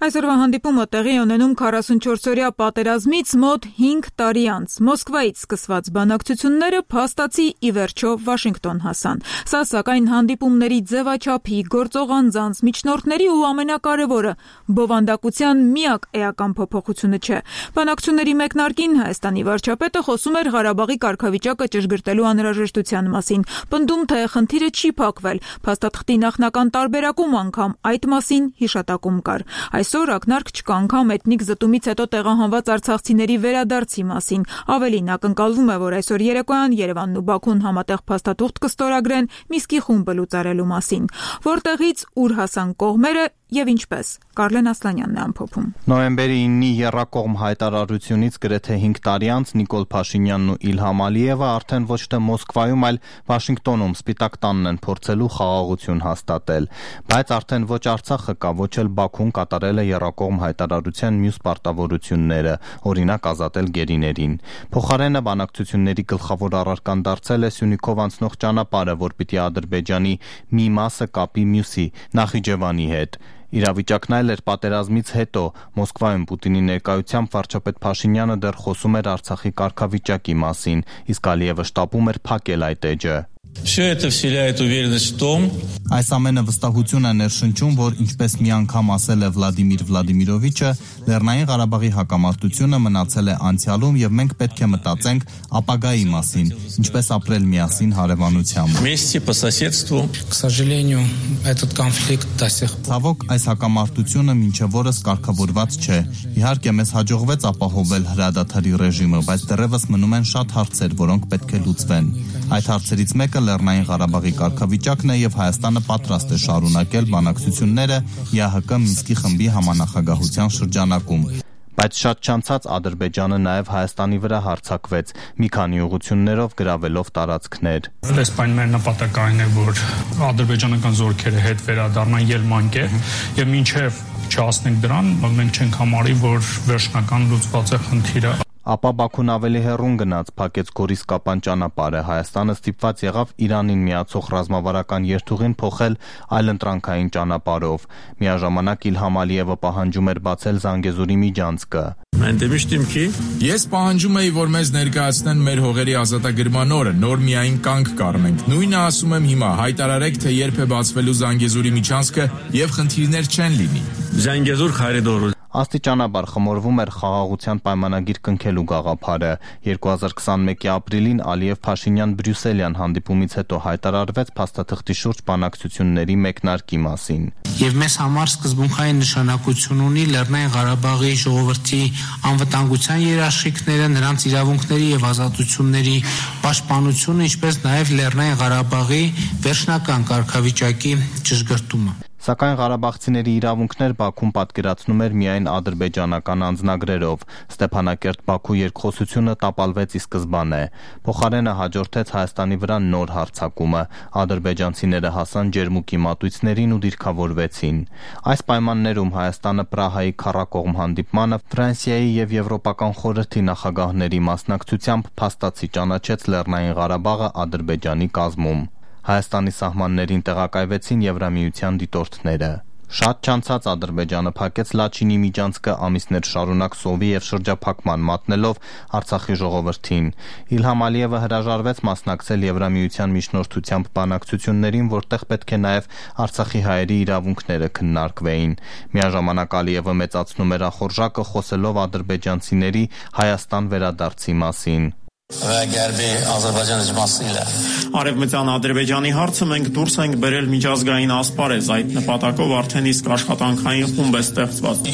Այսօրվա հանդիպումը տեղի ունենում քառասունչորսօրյա պատերազմից մոտ հինգ տարի անց։ Մոսկվայից սկսված բանակցությունները փաստացի ի վերջո Վաշինգտոն հասան։ Սա սակայն հանդիպումների ձևաչափի, գործող անձանց, միջնորդների ու ամենակարևորը բովանդակության միակ էական փոփոխությունը չէ։ Բանակցությունների մեկնարկին Հայաստանի վարչապետը խոսում էր Ղարաբաղի կարգավիճակը ճշգրտելու անհրաժեշտության մասին, պնդում թե խնդիրը չի փակվել, փաստաթղթի նախնական տարբերակում անգամ այդ մասին հիշատակում կար։ Այսօր ակնարկ չկա անգամ էթնիկ զտումից հետո տեղահանված արցախցիների վերադարձի մասին։ Ավելին, ակնկալվում է, որ այսօր երեկոյան Երևանն ու Բաքուն համատեղ փաստաթուղթ կստորագրեն Մինսկի խումբը լուծարելու մասին։ Որտեղից ուր հասան կողմերը եւ ինչպես։ Կարլեն Ասլանյանն է ամփոփում։ Նոյեմբերի իննի եռակողմ հայտարարությունից գրեթե հինգ տարի անց Նիկոլ Փաշինյանն ու Իլհամ Ալիևը արդեն ոչ թե Մոսկվայում, այլ Վաշինգտոնում Սպիտակ տանն են փորձելու խաղաղություն հաստատել, բայց արդեն ոչ Արցախը կա, ոչ էլ Բաքուն կատարել է եռակողմ հայտարարության մյուս պարտավորությունները, օրինակ ազատել գերիներին։ Փոխարենը բանակցությունների գլխավոր առարկան դարձել է Սյունիքով անցնող ճանապարհը, որ պիտի Ադրբեջանի մի մասը կապի մյուսի՝ Նախիջևանի հետ։ Իրավիճակն այլ էր պատերազմից հետո։ Մոսկվայում Պուտինի ներկայությամբ վարչապետ Փաշինյանը դեռ խոսում էր Արցախի կարգավիճակի մասին, իսկ Ալիևը շտապում էր փակել այդ էջը։ Այս ամենը վստահություն է ներշնչում, որ ինչպես մի անգամ ասել է Վլադիմիր Վլադիմիրովիչը, Լեռնային Ղարաբաղի հակամարտությունը մնացել է անցյալում եւ մենք պետք է մտածենք ապագայի մասին, ինչպես ապրել միասին հարևանությամբ։ Ցավոք, այս հակամարտությունը մինչև օրս կարգավորված չէ։ Իհարկե մեզ հաջողվեց ապահովել հրադադարի ռեժիմը, բայց դեռևս մնում են շատ հարցեր, որոնք պետք է լուծվեն։ Այդ հարցերից մեկը Լեռնային Ղարաբաղի կարգավիճակն է եւ Հայաստանը պատրաստ է շարունակել բանակցությունները ԵԱՀԿ Մինսկի խմբի համանախագահության շրջանակում։ Բայց շատ չանցած Ադրբեջանը նաև Հայաստանի վրա հարձակվեց, մի քանի ուղղություններով գրավելով տարածքներ։ Այս պայմանների նպատակն է, որ ադրբեջանական զորքերը հետ վերադառնան Ելմանկե եւ մինչեւ չհասնենք դրան, մենք չենք համարի, որ վերջնական լուծված է խնդիրը։ Ապա Բաքուն ավելի հեռուն գնաց, փակեց Գորիս-Կապան ճանապարհը, Հայաստանը ստիպված եղավ Իրանին միացող ռազմավարական երթուղին փոխել այլընտրանքային ճանապարհով։ Միաժամանակ Իլհամ Ալիևը պահանջում էր բացել Զանգեզուրի միջանցքը։ Ես պահանջում էի, որ մեզ ներկայացնեն մեր հողերի ազատագրման օրը, նոր միայն կանգ կառնենք։ Նույնը ասում եմ հիմա, հայտարարեք, թե երբ է բացվելու Զանգեզուրի միջանցքը եւ խնդիրներ չեն լինի։ Զանգեզուր խարիդոր Աստիճանաբար խմորվում էր խաղաղության պայմանագիր կնքելու գաղափարը։ երկու հազար քսանմեկի ապրիլին Ալիև-Փաշինյան Բրյուսելյան հանդիպումից հետո հայտարարվեց փաստաթղթի շուրջ բանակցությունների մեկնարկի մասին։ Եվ մեզ համար սկզբունքային նշանակություն ունի Լեռնային Ղարաբաղի ժողովրդի անվտանգության երաշխիքները, նրանց իրավունքների եւ ազատությունների պաշտպանությունը, ինչպես նաեւ Լեռնային Ղարաբաղի վերջնական կարգավիճակի ճշգրտումը։ Սակայն ղարաբաղցիների իրավունքներ Բաքուն պատկերացնում էր միայն ադրբեջանական անձնագրերով։ Ստեփանակերտ-Բաքու երկխոսությունը տապալվեց ի սկզբանե։ Փոխարենը հաջորդեց Հայաստանի վրա նոր հարձակումը։ Ադրբեջանցիները հասան ջերմուկի մատույցներին ու դիրքավորվեցին։ Այս պայմաններում Հայաստանը Պրահայի քառակողմ հանդիպմանը Ֆրանսիայի եւ Եվրոպական խորհրդի նախագահների մասնակցությամբ փաստացի ճանաչեց Լեռնային Ղարաբաղը Ադրբեջանի կազմում։ Հայաստանի սահմաններին տեղակայվեցին Եվրամիության դիտորդները։ Շատ չանցած Ադրբեջանը փակեց Լաչինի միջանցքը ամիսներ շարունակ սովի եւ շրջափակման մատնելով Արցախի ժողովրդին։ Իլհամ Ալիևը հրաժարվեց մասնակցել Եվրամիության միջնորդությամբ բանակցություններին, որտեղ պետք է նաեւ Արցախի հայերի իրավունքները քննարկվեին։ Միաժամանակ Ալիևը մեծացնում էր ախորժակը, խոսելով ադրբեջանցիների Հայաստան վերադարձի մասին։ Արևմտյան Ադրբեջանի հարցը մենք դուրս ենք բերել միջազգային ասպարեզ, այդ նպատակով արդեն իսկ աշխատանքային խումբ է ստեղծված։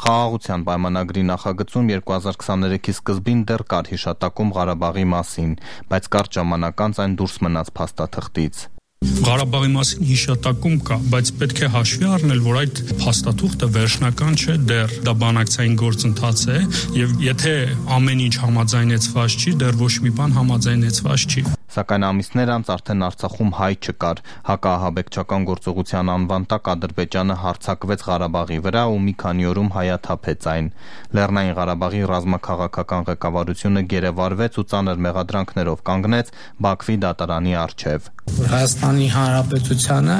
Խաղաղության պայմանագրի նախագծում երկու հազար քսաներեքի սկզբին դեռ կար հիշատակում Ղարաբաղի մասին, բայց կարճ ժամանակ անց այն դուրս մնաց փաստաթղթից։ Ղարաբաղի մասին հիշատակում կա, բայց պետք է հաշվի առնել, որ այդ փաստաթուղթը վերջնական չէ, դեռ դա բանակցային գործընթաց է, եւ եթե ամեն ինչ համաձայնեցված չի, դեռ ոչ մի բան համաձայնեցված չի։ Սակայն ամիսներ անց արդեն Արցախում հայ չկար։ Հակաահաբեկչական գործողության անվան տակ Ադրբեջանը հարձակվեց Ղարաբաղի վրա ու մի քանի օրում հայաթափեց այն։ Լեռնային Ղարաբաղի ռազմաքաղաքական ղեկավարությունը գերեվարվեց ու ծանր մեղադրանքներով կանգնեց Բաքվի դատարանի առջև։ Հայաստանի Հանրապետությանը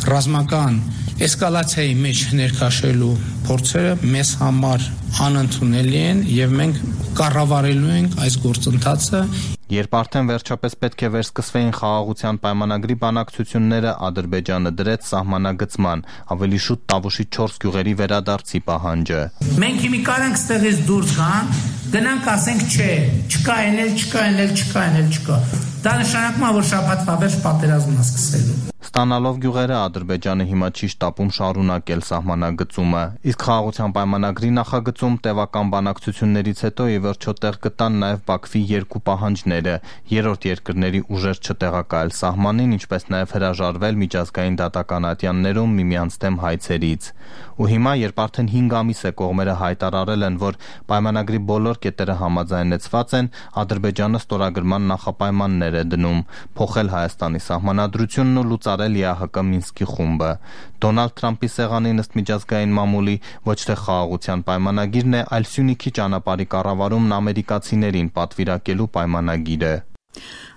ռազմական էսկալացիայի մեջ ներքաշելու փորձերը մեզ համար անընդունելի են եւ մենք կառավարելու ենք այս գործընթացը։ Երբ արդեն վերջապես պետք է վերսկսվեին խաղաղության պայմանագրի բանակցությունները, Ադրբեջանը դրեց սահմանագծման, ավելի շուտ Տավուշի չորս գյուղերի վերադարձի պահանջը։ Մենք հիմի կարանք ստեղից դուրս գան, գնանք ասենք չէ, չկա ենել, չկա ենել, չկա ենել, չկա։ Դա նշանակում է, որ շաբաթվա վերջ պատերազմն է սկսելու։ Ստանալով գյուղերը Ադրբեջանը հիմա չի շտապում շարունակել սահմանագծումը, իսկ խաղաղության պայմանագրի նախագծում տևական բանակցություններից հետո ի վերջո տեղ գտան նաև Բաքվի երկու պահանջները՝ երրորդ երկրների ուժեր չտեղակայել սահմանին, ինչպես նաև հրաժարվել միջազգային դատական ատյաններում միմյանց դեմ հայցերից։ Ու հիմա, երբ արդեն հինգ ամիս է կողմերը հայտարարել են, որ պայմանագրի բոլոր կետերը համաձայնեցված են, Ադրբեջանը ստորագրման նախապայմաններ է դնում՝ փոխել Հայաստանի սահմանադրությունն ու լուծարել ԵԱՀԿ Մինսկի խումբը։ Դոնալդ Թրամփի սեղանին ըստ միջազգային մամուլի ոչ թե խաղաղության պայմանագիրն է, այլ Սյունիքի ճանապարհի կառավարումն ամերիկացիներին պատվիրակելու պայմանագիրը։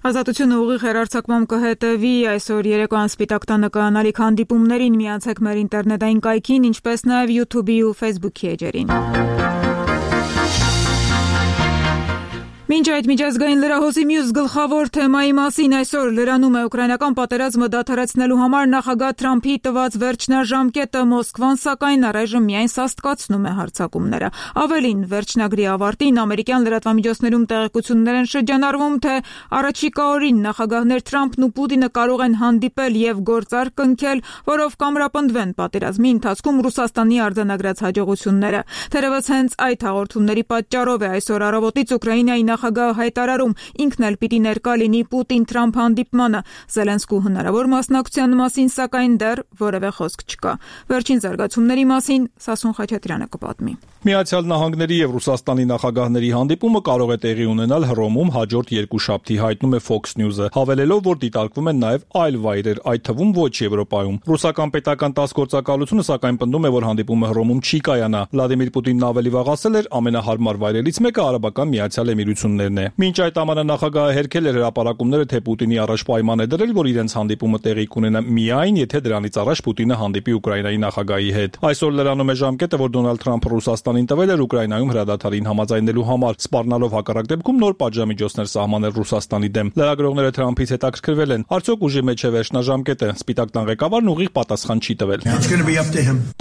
Ազատությունը ուղիղ հեռարձակմամբ կհետևի այսօր երեկոյան Սպիտակ տանը կայանալիք հանդիպումներին, միացեք մեր ինտերնետային կայքին, ինչպես նաև YouTube-ի ու Facebook-ի էջերին։ Մինչ այդ միջազգային լրահոսի մյուս գլխավոր թեմայի մասին այսօր լրանում է ուկրաինական պատերազմը դադարեցնելու համար նախագահ Թրամփի տված վերջնաժամկետը, Մոսկվան սակայն առայժմ միայն սաստկացնում է հարձակումները։ Ավելին, վերջնագրի ավարտին ամերիկյան լրատվամիջոցներում տեղեկություններ են շրջանառվում, թե առաջիկա օրին նախագահներ Թրամփն ու Պուտինը կարող են հանդիպել եւ գործարք կնքել, որով կամրապնդվեն պատերազմի ընթացքում Ռուսաստանի արձանագրած հաջողությունները։ Թերևս հենց այդ հաղորդումների պատճառով է այսօր առավոտից Ուկրաինայի նախագահը հայտարարում, ինքն էլ պիտի ներկա լինի Պուտին-Թրամփ հանդիպմանը։ Զելենսկու հնարավոր մասնակցության մասին սակայն դեռ որևէ խոսք չկա։ Վերջին զարգացումների մասին Սասուն Խաչատրյանը կպատմի։ Միացյալ Նահանգների եւ Ռուսաստանի նախագահների հանդիպումը կարող է տեղի ունենալ Հռոմում հաջորդ երկուշաբթի, հայտնում է Fox News-ը, հավելելով, որ դիտարկվում են նաեւ այլ վայրեր, այդ թվում ոչ Եվրոպայում։ Ռուսական պետական տաս գործակալությունը սակայն պնդում է, որ հանդիպումը Հռոմում չի կայանա։ Վլադիմիր Պուտինն ավելի վաղ ասել էր, ամենահարմար վայրերից մեկը Արաբական Միացյալ Էմիրություններն է։ Մինչ այդ ամառը նախագահը հերքել էր հրապարակումները, թե Պուտինի առաջ պայման է դրել, որ իրենց հանդիպումը տեղի կունենա միայն, եթե դրանից առաջ Պուտինը հանդիպի Ուկրաինայի նախագահի հետ։ Այսօր լրանում է ժամկետը, որ Դոնալդ Թրամփը Ռուսաստանին տվել էր Ուկրաինայում հրադադարին համաձայնելու համար, սպառնալով հակառակ դեպքում նոր պատժամիջոցներ սահմանել Ռուսաստանի դեմ։ Լրագրողները Թրամփից հետաքրքրվել են, արդյոք ուժի մեջ է վերջնաժամկետը։ Սպիտակ տան ղեկավարն ուղիղ պատասխան չի տվել։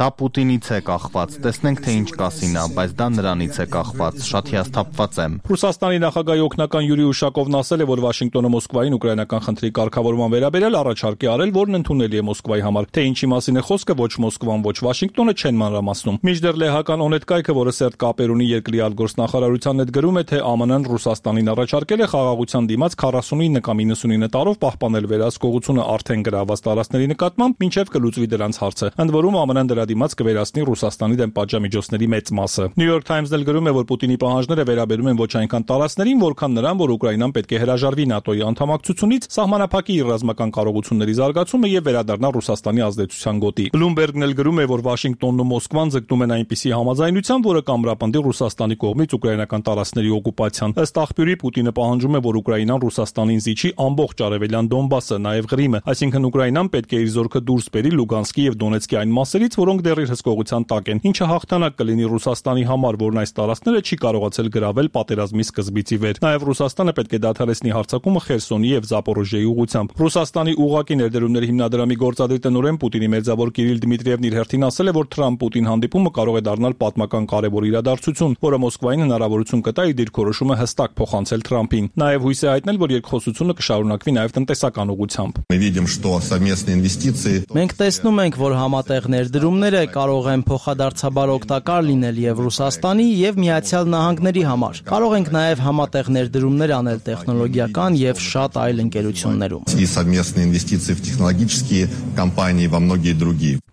Դա Պուտինից է կախված, տեսնենք թե ինչ կասի նա, բայց դա նրանից է կախված, շատ հիասթափված եմ։ Ռուսաստանի նախագահի օգնական Յուրի Ուշակովն ասել է, որ Վաշինգտոնը Մոսկվային ուկրաինական խնդրի կարգավորման վերաբերյալ առաջարկ է արել, որն ընդունելի է Մոսկվայի համար։ Թե ինչի մասին է խոսքը, ոչ Մոսկվան, ոչ Վաշինգտոնը չեն մանրամասնում։ Մինչդեռ լեհական օնետ կայքը, որը սերտ կապեր ունի երկրի արտգործնախարարությանն հետ գրում է, թե ԱՄՆ-ն Ռուսաստանին առաջարկել է խաղաղության դիմաց քառասունինը կամ իննսունինը տարով պահպանել վերահսկողությունը արդեն գրաված տարածքների նկատմամբ, մինչև կլուծվի դրանց հարցը։ Ընդ որում ԱՄՆ-ն դրա դիմաց կվերացնի Ռուսաստանի դեմ պատժամիջոցների մեծ մասը։ New York Times-ն էլ գրում է, որ Պուտինի պահանջները վերաբերում են ոչ այնքան տարածքներին, որքան նրան, որ Ուկրաինան պետք է հրաժարվի ՆԱՏՕ-ի անդամակցությունից, սահմանափակի իր ռազմական կարողությունների զարգացումը եւ վերադառնա Ռուսաստանի ազդեցության գոտի։ Bloomberg-ն էլ գրում է, որ Վաշինգտոնն ու Մոսկվան ձգտում են այնպիսի համաձայնության, որը կամրապնդի Ռուսաստանի կողմից ուկրաինական տարածքների օկուպացիան։ Ըստ աղբյուրի, Պուտինը պահանջում է, որ Ուկրաինան Ռուսաստանին զիջի ամբողջ արևելյան Դոնբասը, նաեւ Ղրիմը, այսինքն Ուկրաինան պետք է իր զորքը դուրս բերի Լուգանսկի եւ Դոնեցկի այն մասերից, որոնք դեռ իր հսկողության տակ են, ինչը հաղթանակ կլինի Ռուսաստանի համար, որն այս տարածքները չի կարողացել գրավել պատերազմի սկզբից ի վեր։ Նաեւ Ռուսաստանը պետք է դադարեցնի հարձակումը Խերսոնի եւ Զապորոժիեի ուղղությամբ։ Ռուսաստանի ուղղակի ներդրումների հիմնադրամի գործադիր տնօրեն Պուտինի մերձավոր Կիրիլ Դմիտրիևն իր հերթին ասել է, որ Թրամփ-Պուտին հանդիպումը կարող է դառնալ պատմական կարևոր իրադարձություն, որը Մոսկվային հնարավորություն կտա իր դիրքորոշումը հստակ փոխանցել Թրամփին։ Նաեւ հույս է հայտնել, որ երկխոսությունը կշարունակվի նաեւ տնտեսական ուղղությամբ։ Մենք տեսնում ենք, որ համատեղ ներդրումները կարող են փոխադարձաբար օգտակար լինել եւ Ռուսաստանի եւ Միացյալ Նահանգների համար։ Կարող ենք նաեւ համատեղ ներդրումներ անել տեխնոլոգիական եւ շատ այլ ընկերություններում։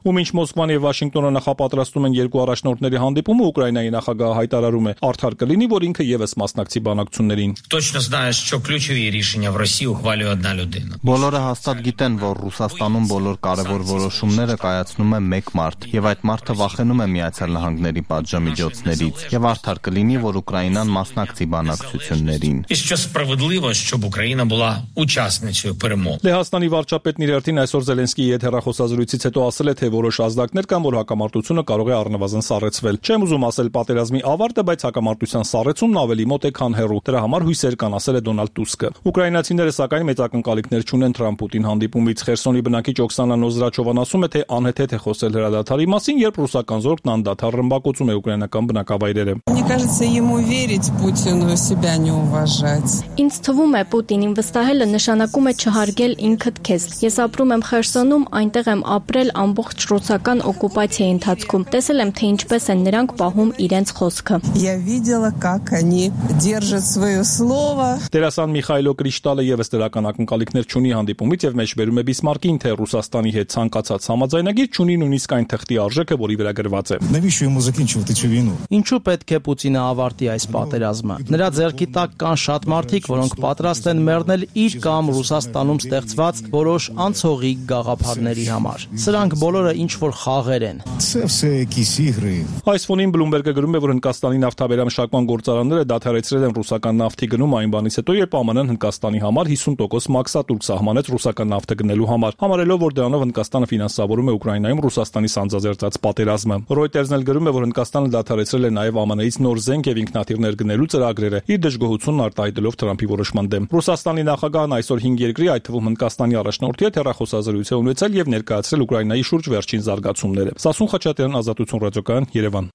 Ու մինչ Մոսկվան եւ Վաշինգտոնը նախապատրաստում են երկու առաջնորդների հանդիպում, հանդիպումը Ուկրաինայի նախագահը հայտարարում է, արդար կլինի, որ ինքը եւս մասնակցի բանակցություններին։ Точно знаешь, что ключові рішення в Росії ухвалює одна людина. Բոլորը հաստատ գիտեն, որ Ռուսաստանում բոլոր կարևոր որոշումները կայացնում է մեկ մարդ, եւ այդ մարդը վախենում է Միացյալ Նահանգների պատժամիջոցներից, եւ արդար կլինի, որ Ուկրաինան մասնակցի բանակցություններին։ І що справедливо, щоб Україна була учасницею перемог. Լեհաստանի վարչապետն իր հերթին այսօր Զելենսկիի հետ հեռախոսազրույցից հետո ասել է, թե որոշ ազդակներ կան, որ հակամարտությունը կարող է առնվազն սառեցվել։ Չեմ ուզում ասել պատերազմի ավարտը, բայց հակամարտության սառեցումն ավելի մոտ է, քան հեռու։ Դրա համար հույսեր կան, ասել է Դոնալդ Տուսկը։ Ուկրաինացիները սակայն մեծ ակնկալիքներ չունեն Թրամփ-Պուտին հանդիպումից։ Խերսոնի բնակիչ Օքսանա Նոզրաչովան ասում է, թե անհեթեթ է խոսել հրադադարի մասին, երբ ռուսական զորքն անդադար ռմբակոծում է ուկրաինական բնակավայրերը։ Мне кажется, ему верить Путину себя не уважать. Ինձ թվում է Պուտինին վստահելը նշանակում է չհարգել ինքդ քեզ։ Ես ապրում եմ Խերսոնում, այնտեղ եմ ապրել ամբողջ ռուսական օկուպացիայի ընթացքում։ Տեսել եմ, թե ինչպես են նրանք պահում իրենց խոսքը։ Я видела, как они держат свое слово. Դերասան Միխայլո Կրիշտալը եւս դրական ակնկալիքներ չունի հանդիպումից եւ մեջբերում է Բիսմարկին, թե Ռուսաստանի հետ ցանկացած համաձայնագիր չունի նույնիսկ այն թղթի արժեքը, որի վրա գրված է։ Навіщо йому закінчувати цю війну? Ինչու պետք է Պուտինը ավարտի այս պատերազմը։ Նրա ձեռքի տակ կան շատ մարդիկ, որոնք պատրաստ են մեռնել իր կամ Ռուսաստանում ստեղծված որոշ անցողիկ գաղափարների համար։ Սրանք բոլորը ինչ որ խաղեր են։ Це все якісь ігри։ Այս ֆոնին Bloomberg-ը գրում է, որ Հնդկաստանի նավթաբերամշակման գործարանները դադարեցրել են ռուսական նավթի գնում այն բանից հետո, երբ ԱՄՆ-ն Հնդկաստանի համար հիսուն տոկոս մաքսատուրք սահմանեց ռուսական նավթը գնելու համար, համարելով, որ դրանով Հնդկաստանը ֆինանսավորում է Ուկրաինայում Ռուսաստանի սանձազերծած պատերազմը։ Reuters-ն էլ գրում է, որ Հնդկաստանը դադարեցրել է նաև ԱՄՆ-ից նոր զենք եւ ինքնաթիռներ գնելու ծրագրերը, իր դժգոհությունն արտահայտելով Թրամփի որոշման դեմ։ Ռուսաստանի նախագահն այսօր հինգ երկրի, այդ թվում Հնդկաստանի առաջնորդի հետ հեռախոսազրույց է ունեցել եւ ներկայացրել Ուկրաինայի շուրջ վերջին զարգացումները։ Սասուն Խաչատրյան, Ազատություն ռադիոկայան, Երևան։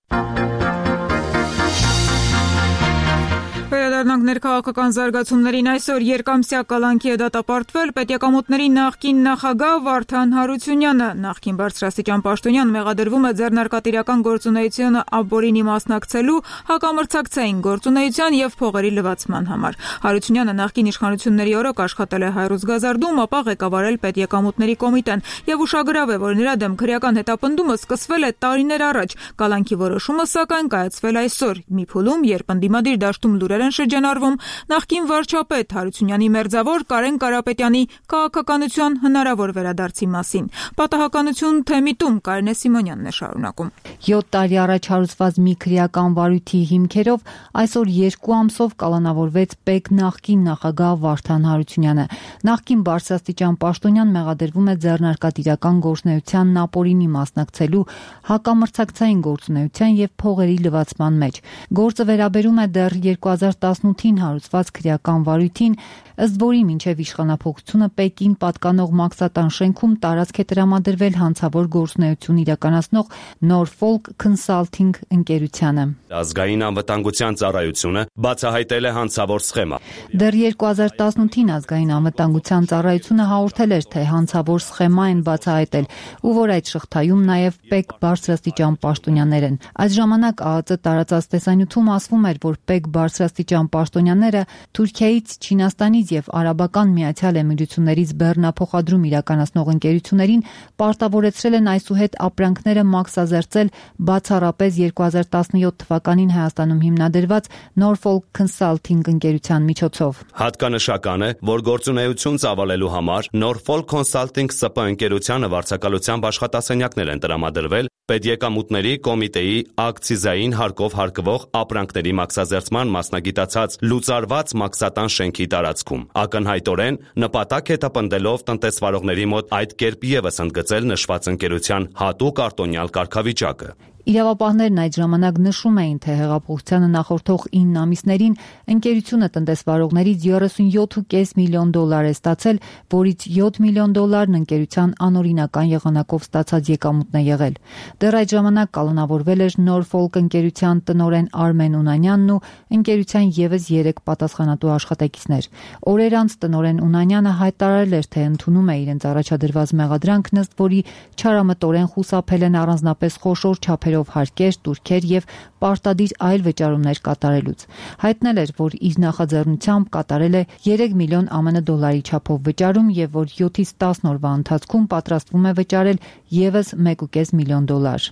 Վերադառնանք ներքաղաքական զարգացումներին։ Այսօր երկամսյա կալանքի է դատապարտվել պետեկամուտների նախկին նախագահ Վարդան Հարությունյանը։ Նախկին բարձրաստիճան պաշտոնյան մեղադրվում է ձեռնարկատիրական գործունեությունը ապօրինի մասնակցելու, հակամրցակցային գործունեության եւ փողերի լվացման համար։ Հարությունյանը նախկին իշխանությունների օրոք աշխատել է Հայրուսգազարդում, ապա ղեկավարել պետեկամուտների կոմիտեն եւ ուշագրավ է, որ նրա դեմ քրեական հետապնդումը սկսվել է տարիներ առաջ։ Կալանքի որոշումը սակայն կայացվել այսօր մի փուլում, երբ ընդդիմադիր դաշտում լուրեր են շրջանառվում նախկին վարչապետ Հարությունյանի մերձավոր Կարեն Կարապետյանի քաղաքականության հնարավոր վերադարձի մասին։ Պատահականություն թե միտում Կարինե Սիմոնյանն է շարունակում։ յոթ տարի առաջ հարուցված մի քրեական վարույթի հիմքերով այսօր երկու ամսով կալանավորվեց ՊԵԿ նախկին նախագահ Վարդան Հարությունյանը։ Նախկին բարձրաստիճան պաշտոնյան մեղադրվում է ձեռնարկատիրական գործունեության ապօրինի մասնակցելու, հակամրցակցային գործունեության եւ փողերի լվացման մեջ։ Գործը վերաբերում է դեռ երկու հազար տասնութին հարուցված քրեական վարույթին, ըստ որի մինչև իշխանափոխությունը ՊԵԿ-ին պատկանող Մաքսատան շենքում տարածք է տրամադրվել հանցավոր գործունեություն իրականացնող Norfolk Consulting ընկերությանը։ Ազգային անվտանգության ծառայությունը բացահայտել է հանցավոր սխեմա։ Դեռ երկու հազար տասնութին ազգային անվտանգության ծառայությունը հաղորդել էր, թե հանցավոր սխեմա են բացահայտել, ու որ այդ շղթայում նաև ՊԵԿ բարձրաստիճան պաշտոնյաներ են։ Այդ ժամանակ ԱԱԾ տարածած տեսանյութում ասվում էր, որ ՊԵԿ բարձրաստիճան պաշտոնյաները Թուրքիայից, Չինաստանից եւ Արաբական Միացյալ Էմիրություններից բեռնափոխադրում իրականացնող ընկերություններին պարտավորեցրել են այսուհետ ապրանքները մաքսազերծել բացառապես երկու հազար տասնյոթ թվականին Հայաստանում հիմնադրված Norfolk Consulting ընկերության միջոցով։ Հատկանշական է, որ գործունեություն ծավալելու համար Norfolk Consulting ՍՊ ընկերությանը վարձակալությամբ աշխատասենյակներ են տրամադրվել Պետեկամուտների կոմիտեի ակցիզային հարկով հարկվող ապրանքների մաքսազերծման մասնագիտացած լուծարված Մաքսատան շենքի տարածքում։ Ակնհայտորեն նպատակ հետապնդելով տնտեսվարողների մոտ այդ կերպ ևս ընդգծել նշված ընկերության հատուկ արտոնյալ կարգավիճակը։ Իրավապահներն այդ ժամանակ նշում էին, թե հեղափոխությանը նախորդող ինը ամիսներին ընկերությունը տնտեսվարողներից երեսունյոթ կόμμα պենս միլիոն դոլար է ստացել, որից յոթ միլիոն դոլարն ընկերության անօրինական եղանակով ստացած եկամուտն է եղել։ Դեռ այդ ժամանակ կալանավորվել էր Norfolk ընկերության տնօրեն Արմեն Ունանյանն ու ընկերության ևս երեք պատասխանատու աշխատակիցներ։ Օրեր անց տնօրեն Ունանյանը հայտարարել էր, թե ընդունում է իրենց առաջադրված մեղադրանքն, ըստ որի չարամտորեն խուսափել են առանձնապես խոշոր չափերով հարկեր, տուրքեր եւ պարտադիր այլ վճարումներ կատարելուց։ Հայտնել էր, որ իր նախաձեռնությամբ կատարել է երեք միլիոն ԱՄՆ դոլարի չափով վճարում եւ որ յոթից տասն օրվա ընթացքում պատրաստվում է վճարել եւս մեկ կόμμα պենս միլիոն դոլար։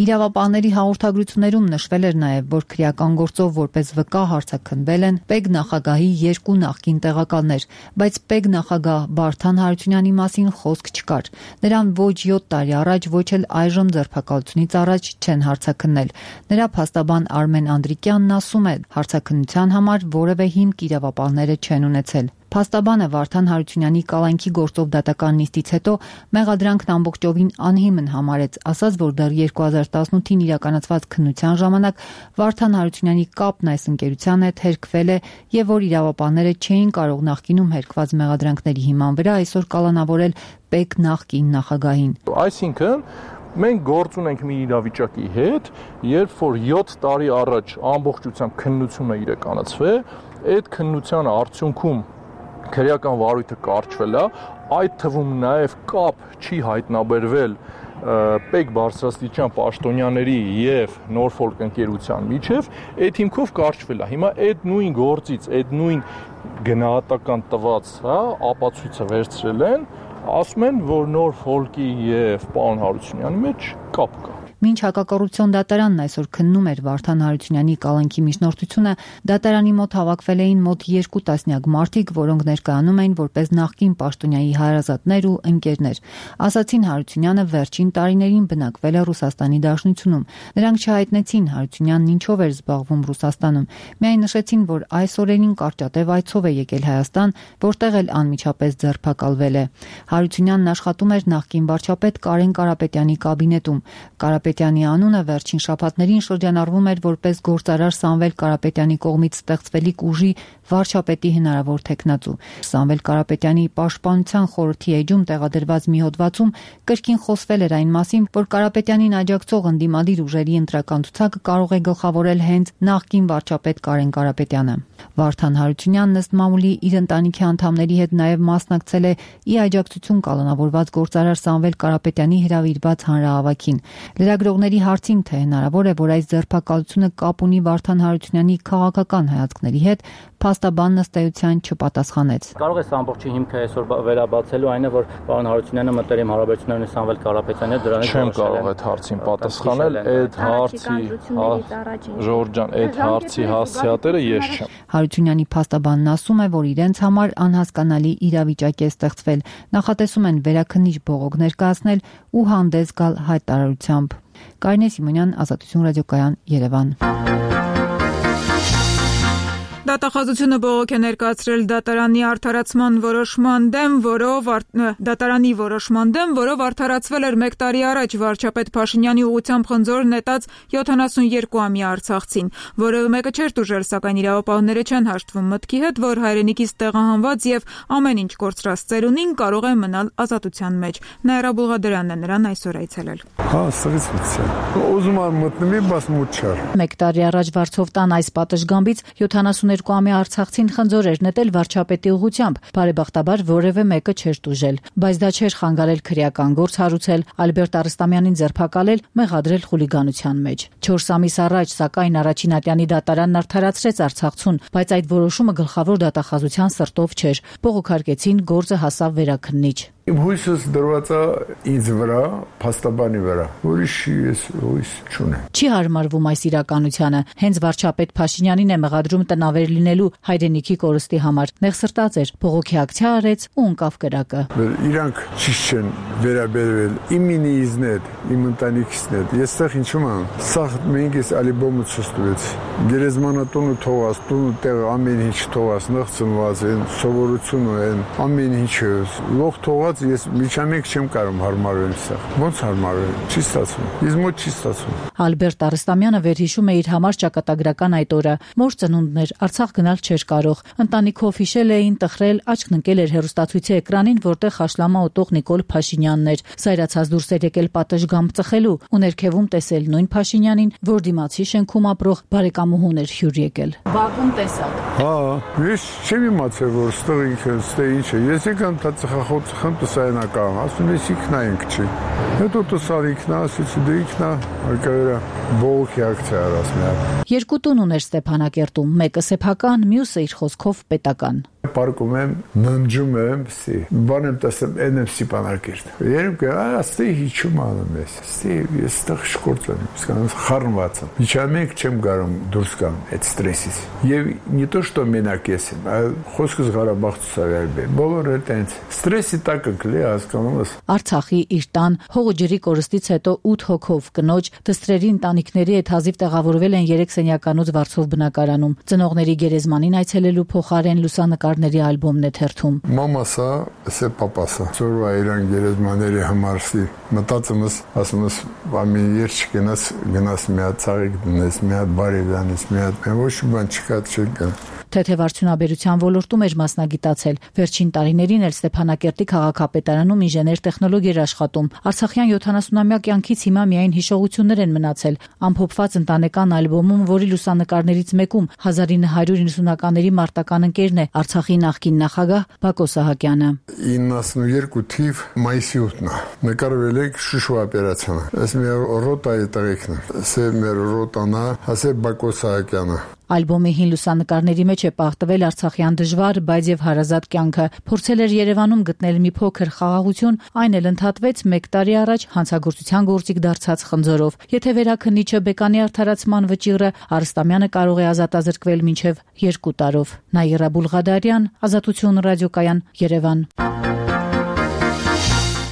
Իրավապահների հաղորդագրություններում նշվել էր նաև, որ քրեական գործով որպես վկա հարցաքննվել են Պեկ նախագահի երկու նախկին տեղակալներ, բայց Պեկ նախագահ Վարդան Հարությունյանի մասին խոսք չկար։ Նրան ոչ յոթ տարի առաջ, ոչ էլ այժմ ձերբակալությունից առաջ չեն հարցաքննել։ Նրա փաստաբան Արմեն Անդրիկյանն ասում է, հարցաքննության համար որևէ հիմք իրավապահները չեն ունեցել։ Փաստաբանը Վարդան Հարությունյանի կալանքի գործով դատական նիստից հետո մեղադրանքն ամբողջովին անհիմն համարեց, ասաց, որ դեռ երկու հազար տասնութին իրականացված քննության ժամանակ Վարդան Հարությունյանի կապն այս ընկերության հետ հերկվել է եւ որ իրավապահները չէին կարող նախկինում հերկված մեղադրանքների հիման վրա այսօր կալանավորել Պեկ նախկին նախագահին։ Այսինքն մենք գործ ունենք մի իրավիճակի հետ, երբ որ յոթ տարի առաջ ամբողջությամբ քննությունը իրականացվել, այդ քննության արդյունքում քրեական վարույթը կարճվել է, այդ թվում նաև կապ չի հայտնաբերվել Պեկ բարձրաստիճան պաշտոնյաների եւ Նորֆոլք ընկերության միջև, այդ հիմքով կարճվել է։ Հիմա այդ նույն գործից, այդ նույն գնահատական տված, հա, ապացույցը վերցրել են, ասում են, որ Նորֆոլկի եւ պարոն Հարությունյանի մեջ կապ կա։ Մինչ հակակոռուպցիոն դատարանն այսօր քննում էր Վարդան Հարությունյանի կալանքի միջնորդությունը, դատարանի մոտ հավաքվել էին մոտ երկու տասնյակ մարդիկ, որոնք ներկայանում էին որպես նախկին պաշտոնյայի հարազատներ ու ընկերներ։ Ասացին Հարությունյանը վերջին տարիներին բնակվել է Ռուսաստանի Դաշնությունում։ Նրանք չհայտնեցին Հարությունյանն ինչով էր զբաղվում Ռուսաստանում, միայն նշեցին, որ այս օրերին կարճատև այցով է եկել Հայաստան, որտեղ էլ անմիջապես ձերբակալվել է։ Հարությունյանն աշխատում էր նախկին վարչապետ Կարեն Կարապետյանի կաբինետում։ Կարապետյանի անունը վերջին շաբաթներին շրջանառվում էր որպես գործարար Սամվել Կարապետյանի կողմից ստեղծվելիք ուժի վարչապետի հնարավոր թեկնածու։ Սամվել Կարապետյանի պաշտպանության խորհրդի էջում տեղադրված մի հոդվածում կրկին խոսվել էր այն մասին, որ Կարապետյանին աջակցող ընդդիմադիր ուժերի ընտրական ցուցակը կարող է գլխավորել հենց նախկին վարչապետ Կարեն Կարապետյանը։ Վարդան Հարությունյանն ըստ մամուլի իր ընտանիքի անդամների հետ նաև մասնակցել է ի աջակցություն կալանավորված գործարար Սամվել Կարապետյանի հրավիրված հանրահավաքին։ Լրագրողների հարցին, թե հնարավոր է, որ այս ձերբակալությունը կապ ունի Վարդան Հարությունյանի քաղաքական հայացքների հետ, փաստաբանն ըստ էության չպատասխանեց։ Կարող է սա ամբողջի հիմքը այսօր վերաբացելու այն է, որ պարոն Հարությունյանը մտերիմ հարաբերություններ ունի Սամվել Կարապետյանի հետ, դրանից չեմ կարող այդ հարցին պատասխանել, այդ հարցի Ժորժ ջան, այդ հարցի հասցեատերը ես չեմ։ Հարությունյանի փաստաբանն ասում է, որ իրենց համար անհասկանալի իրավիճակ է ստեղծվել, նախատեսում են վերաքննիչ բողոք ներկայացնել ու հանդես գալ հայտարարությամբ։ Կարինե Սիմոնյան, Ազատություն ռադիոկայան, Երևան։ Դատախազությունը բողոք է ներկայացրել դատարանի արդարացման որոշման դեմ, որով դատարանի որոշման դեմ, որով արդարացվել էր մեկ տարի առաջ վարչապետ Փաշինյանի ուղղությամբ խնձոր նետած յոթանասունյոթ-ամյա արցախցին, որը մեկը չէր տուժել, սակայն իրավապահները չեն հաշտվում մտքի հետ, որ հայրենիքից տեղահանված եւ ամեն ինչ կորցրած ծերունին կարող է մնալ ազատության մեջ։ Նաիրա Բուլղադարյանն է նրան այսօր այցելել։ Հա, սրից մտցել։ Ուզում եմ մտնեմ, բայց մոտ չար։ Մեկ տարի առաջ Վարչովտան այս պատշգամբից յոթանասուներկու-ամյա արցախցին խնձոր էր նետել վարչապետի ուղղությամբ, բարեբախտաբար որևէ մեկը չէր տուժել, բայց դա չէր խանգարել քրեական գործ հարուցել, Ալբերտ Արստամյանին ձերբակալել, մեղադրել խուլիգանության մեջ։ Չորս ամիս առաջ, սակայն առաջին ատյանի դատարանն արդարացրեց Արցախցուն, բայց այդ որոշումը գլխավոր դատախազության սրտով չէր։ Բողոքարկեցին, գործը հասավ վերաքննիչ։ Իմ հույսս դրված է ինձ վրա, փաստաբանի վրա, ուրիշ ես հույս չունեմ։ Չի հարմարվում այս իրականությանը։ Հենց վարչապետ Փաշինյանին է մեղադրում տնավեր լինելու հայրենիքի կորստի համար։ Նեղսրտած էր, բողոքի ակցիա արեց ու ընկավ կրակը։ Իրանք ճիշտ չեն վերաբերվել իմ ինիզն հետ, իմ ընտանիքիսն հետ։ Եստեղ ինչու՞ եմ։ Սա մենք ես ալիբոմը ցույց գերեզմանատունը թողած, տունը տեղ ամեն ինչ թողած, նղծնված են, սովորությունը են, ամեն ինչը լող թողած ես միջամեկ չեմ կարող հարմարվել սա։ Ոնց հարմարվել։ Չի ստացվում։ Ես մոտ չի ստացվում։ Ալբերտ Արստամյանը վերհիշում է իր համար ճակատագրական այդ օրը։ Մոր ծնունդն էր, Արցախ գնալ չէր կարող։ Ընտանիքով հիշել էին, տխրել, աչքն ընկել էր հեռուստացույցի էկրանին, որտեղ հաշլամա ուտող Նիկոլ Փաշինյանն էր։ Սայրացած դուրս էր եկել պատշգամբ ծխելու ու ներքևում տեսել նույն Փաշինյանին, որ դիմացի շենքում ապրող բարեկամուհուն էր հյուր եկել։ Բակում տեսակ։ Հա, ես չեմ իմացել, որ ստեղ ինքը, ստեղ ինչ է։ Ես եկամ դա ծխախոտ խնդուսայնական, ասում ես ինքնա ինք չի։ Հետո տսալ ինքնա, ասեցի դե ինքնա, արկավերա բողոքի ակցիա արած միա։ Երկու տուն ուներ Ստեփանակերտում, մեկը սեփական, մյուսը իր խոսքով պետական։ Պարկում եմ, ննջում եմ, սի, բան եմ տեսեմ, են եմ սիպանակիրտ։ Երեմ կը, աստի հիչում անում ես, աստի ես տեղ շկործ եմ, սկանց խառնված եմ։ Միջամեկ չեմ գարում դուրս գամ այդ ստրեսից։ Եվ не то, что մենակ ես եմ, այլ խոսքս Ղարաբաղ ցուցարարբե։ Բոլորը տենց ստրեսի տակ կլի հասկանում ես։ Արցախի իր տան հողը ջրի կորստից հետո ութ հոգով կնոջ դստրերի ընտանիքների հետ հազիվ տեղավորվել են երեք սենյականոց վարձով բնակարանում։ Ծնողների գերեզմանին այցելելու փոխարեն լուսանկարների ալբոմն է թերթում։ Մամասա, սե պապասա։ Ծորվա իրան գերեզմաների համարսի մտածում ես, ասում ես, ամի երբ չգնաս, գնաս մի հատ ցաղիկ դնես, մի հատ բարի դանես, մի հատ ոչ բան չկա, չկա։ Թեթև արդյունաբերության ոլորտում էր մասնագիտացել։ Վերջին տարիներին էլ Ստեփանակերտի քաղաքապետարանում ինժեներ-տեխնոլոգ էր աշխատում։ Արցախյան յոթանասունամյա կյանքից հիմա միայն հիշողություններ են մնացել։ Ամփոփված ընտանեկան ալբոմում, որի լուսանկարներից մեկում հազար ինը հարյուր իննսունականների մարտական ընկերն է Արցախի նախկին նախագահ Բակո Սահակյանը։ իննասունուերկու թիվ մայիսի ութն է։ Նկարվել է Շուշու օպերացիան։ Այս մեր ռոտայի տղեկն է։ Սե մեր ռոտանա, հասե Բակո Սահակյանը։ Ալբոմի հին լուսանկարների մեջ է պահտվել արցախյան դժվար, բայց եւ հարազատ կյանքը։ Փորձել էր Երևանում գտնել մի փոքր խաղաղություն, այն էլ ընդհատվեց մեկ տարի առաջ հանցագործության գործիք դարձած խնձորով։ Եթե վերաքննիչը բեկանի արդարացման վճիռը, Արստամյանը կարող է ազատազրկվել մինչև երկու տարով։ Նաիրա Բուլղադարյան, Ազատություն ռադիոկայան, Երևան։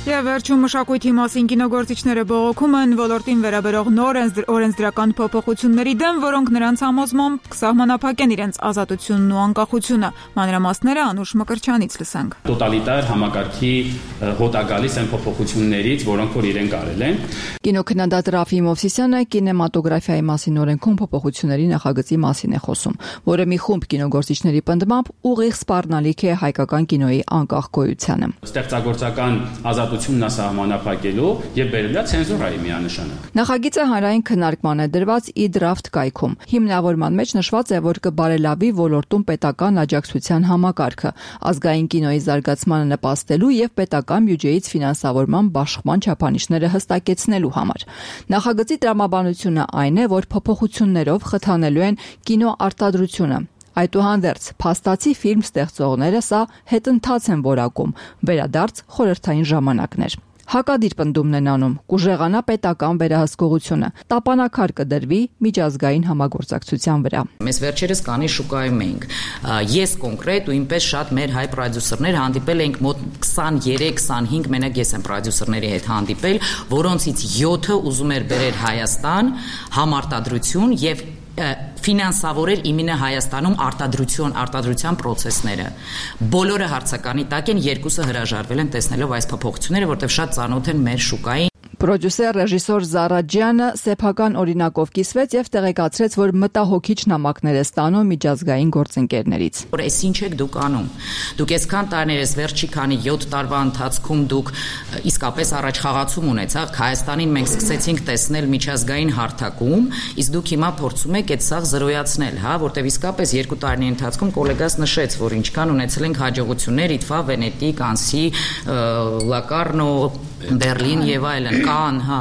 Եվ վերջում մշակույթի մասին կինոգործիչները բողոքում են ոլորտին վերաբերող նոր օրենսդրական փոփոխությունների դեմ, որոնք նրանց համոզմամբ կսահմանափակեն իրենց ազատությունն ու անկախությունը։ Մանրամասները Անուշ Մկրչյանից լսենք։ Տոտալիտար համակարգի հոտա գալիս են փոփոխություններից, որոնք որ իրենք արել են։ Կինոքննադատ Ռաֆի Մովսիսյանը կինեմատոգրաֆիայի մասին օրենքում փոփոխությունների նախագծի մասին է խոսում, որը մի խումբ կինոգործիչների պնդմամբ ուղիղ սպառնալիք է հայկական կինոյի անկախ գոյությանը։ Ստեղծագործական ազատությունն է սահմանափակելու եւ բերելա ցենզուրայի միանշանակ։ Նախագիծը հանրային քննարկման է դրված e-draft կայքում։ Հիմնավորման մեջ նշված է, որ կբարելավի ոլորտում պետական աջակցության համակարգը, ազգային կինոյի զարգացմանը նպաստելու եւ պետական բյուջեից ֆինանսավորման բաշխման չափանիշները հստակեցնելու համար։ Նախագծի տրամաբանությունը այն է, որ փոփոխություններով խթանելու են կինո արտադրությունը։ Այդուհանդերձ, փաստացի ֆիլմ ստեղծողները սա հետընթաց են որակում, վերադարձ խորհրդային ժամանակներ։ Հակադիր պնդումն են անում, կուժեղանա պետական վերահսկողությունը, տապանակար կդրվի միջազգային համագործակցության վրա։ Մեզ վերջերս կանի շուկայում էինք։ Ես կոնկրետ ու ինպես շատ մեր հայ պրոդյուսերներ հանդիպել էինք մոտ քսաներեք քսանհինգ, մենակ ես եմ պրոդյուսերների հետ հանդիպել, որոնցից յոթը ուզում էր բերել Հայաստան համարտադրություն եւ ֆինանսավորել իմինը Հայաստանում արտադրություն, արտադրության process-ները։ Բոլորը հարցականի տակ են, երկուսը հրաժարվել են տեսնելով այս փոփոխությունները, որտեղ շատ ծանոթ են մեր շուկային։ Պրոդյուսեր ռեժիսոր Զարաջյանը սեփական օրինակով կիսվեց եւ տեղեկացրեց, որ մտահոգիչ նամակներ է ստանում միջազգային գործընկերներից։ Որ էս ինչ եք դուք անում։ Դուք այսքան տարիներ ես վերջի քանի յոթ տարվա ընթացքում դուք իսկապես առաջ խաղացում ունեցաք, Հայաստանին մենք սկսեցինք տեսնել միջազգային հարթակում, իսկ դուք հիմա փորձում եք այդ սաղ զրոյացնել, հա, որտեղ իսկապես երկու տարիների ընթացքում գոլեգաս նշեց, որ ինչքան ունեցել ենք հաջողություններ Իթվա, Վենետիկ, Անսի, Լակարնո, Բերլին եւ այլն, կան, հա,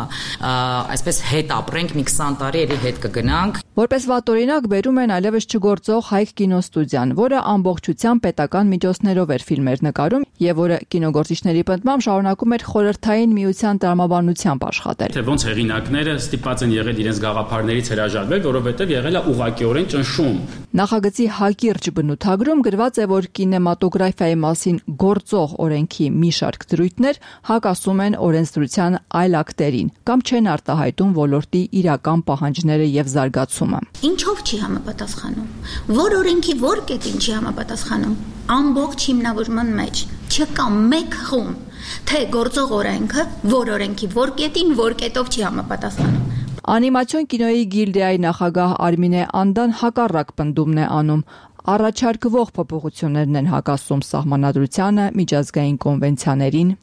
այսպես հետ ապրենք մի քսան տարի էլի հետ կգնանք։ Որպես վատօրինակ բերում են այլևս չգործող Հայք կինոստուդիան, որը ամբողջությամբ պետական միջոցներով էր ֆիլմեր նկարում եւ որը կինոգործիչների պնդմամբ շարունակում էր խորհրդային միության տրամաբանությամբ աշխատել։ Թե ոնց հեղինակները ստիպված են եղել իրենց գաղափարներից հրաժարվել, որովհետեւ եղել է ուղղակիորեն ճնշում։ Նախագծի հակիրճ բնութագրում գրված է, որ կինեմատոգրաֆիայի մասին գործող օրենքի մի շարք դրույթներ հակասում են օրենսդրության այլ ակտերին կամ չեն արտահայտում ոլորտի իրական պահանջները եւ զարգացումը։ Ինչով չի համապատասխանում։ Որ օրենքի որ կետին չի համապատասխանում։ Ամբողջ հիմնավորման մեջ չկա մեկ խումբ, թե գործող օրենքը որ օրենքի որ կետին որ կետով չի համապատասխանում։ Անիմացիոն կինոյի գիլդիայի նախագահ Արմինե Անդան հակառակ պնդումն է անում։ Առաջարկվող փոփոխություններն են հակասում սահմանադրությանը, միջազգային կոնվենցիաներին։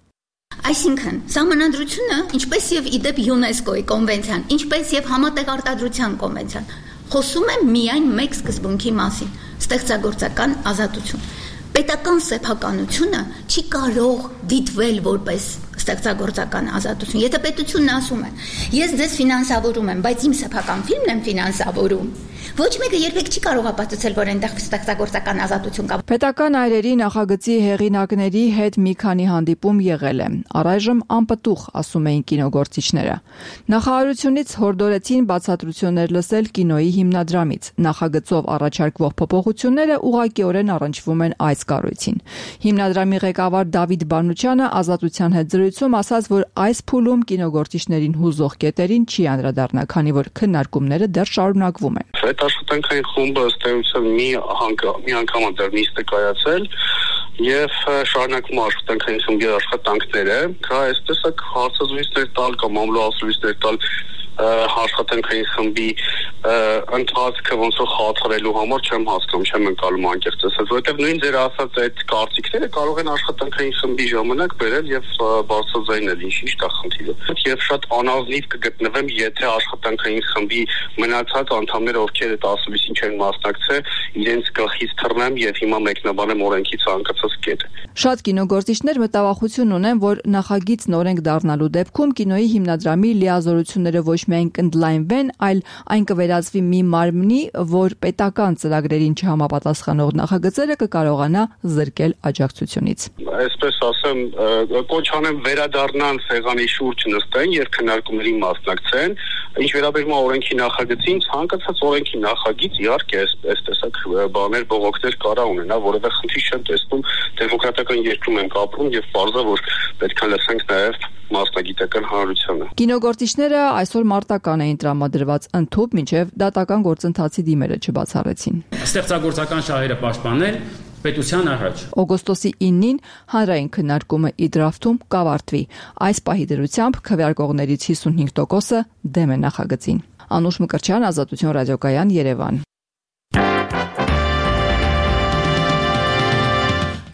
Այսինքն, սահմանադրությունը, ինչպես եւ իդեպ ՅՈՒՆԵՍԿՕ-ի կոնվենցիան, ինչպես եւ համատեղ արտադրության կոնվենցիան, խոսում է միայն մեկ սկզբունքի մասին՝ ստեղծագործական ազատություն։ Պետական սեփականությունը չի կարող դիտվել որպես ստեղծագործական ազատություն։ Եթե պետությունն ասում է, ես ձեզ ֆինանսավորում եմ, բայց իմ սեփական ֆիլմն եմ ֆինանսավորում, Ոչ մեկը երբեք չի կարող ապացուցել, որ այնտեղ ստեղծագործական ազատություն կա։ Պետական այրերի նախագծի հեղինակների հետ մի քանի հանդիպում եղել է։ Առայժմ անպտուղ, ասում էին կինոգործիչները։ Նախարարությունից հորդորեցին բացատրություններ լսել կինոյի հիմնադրամից։ Նախագծով առաջարկվող փոփոխությունները ուղղակիորեն առնչվում են այս կառույցին։ Հիմնադրամի ղեկավար Դավիթ Բանուչյանը Ազատության հետ զրույցում ասաց, որ այս փուլում կինոգործիչներին հուզող կետերին չի անդրադառնա, քանի որ քննարկումները դեռ շարունակվում են։ Այդ աշխատանքային խումբը ըստ էության մի մի անգամ դեռ նիստ է կայացել եւ շարունակում աշխատանքային խմբի աշխատանքները, կա այս տեսակ հարցազրույցներ տալ կամ ամլոասրույցներ տալ աշխատանքային խմբի ընթացքը ոնց որ խաթարելու համար չեմ հասկանում, չեմ ընկալում անկեղծ ասած, որովհետև նույն ձեր ասած այդ կարծիքները կարող են աշխատանքային խմբի ժամանակ բերել եւ բարձրաձայնել, ինչ ինչ է խնդիրը։ Եվ շատ անազնիվ կգտնվեմ, եթե աշխատանքային խմբի մնացած անդամները, ովքեր այդ ասուլիսին չեն մասնակցել, իրենց գլխից թռնեմ եւ հիմա մեկնաբանեմ օրենքի ցանկացած կետ։ Շատ կինոգործիչներ մտավախություն ունեն, որ նախագիծն օրենք դառնալու դեպքում կինոյի հիմնադրամի լիազորությունները ոչ միայն կընդլայնվեն, այլ այն կվերածվի մի մարմնի, որ պետական ծրագրերին չհամապատասխանող նախագծերը կկարողանա զրկել աջակցությունից։ Այսպես ասեմ, կոչ անեմ վերադառնան սեղանի շուրջ նստեն եւ քննարկումների մասնակցեն։ Ինչ վերաբերում է օրենքի նախագծին, ցանկացած օրենքի նախագիծ իհարկե այս տեսակ բաներ բողոքներ կարա ունենա, որովհետեւ խնդիր չեմ տեսնում, դեմոկրատական երկրում ենք ապրում եւ բարձր որ պետք է լսենք նաեւ մասնագիտական հանրությանը։ Կինոգործիչները այսօր մարտական էին տրամադրված ընդཐུպ, մինչև դատական գործընթացի դիմերը չբացառեցին։ Ստեղծագործական շահերը պաշտպանել պետության առաջ։ Օգոստոսի իննին հանրային քննարկումը իդրաֆտում կավարտվի։ Այս պահի դրությամբ քվեարկողներից հիսունհինգ տոկոսը դեմ է նախագծին։ Անուշ Մկրտչյան, Ազատություն ռադիոկայան, Երևան։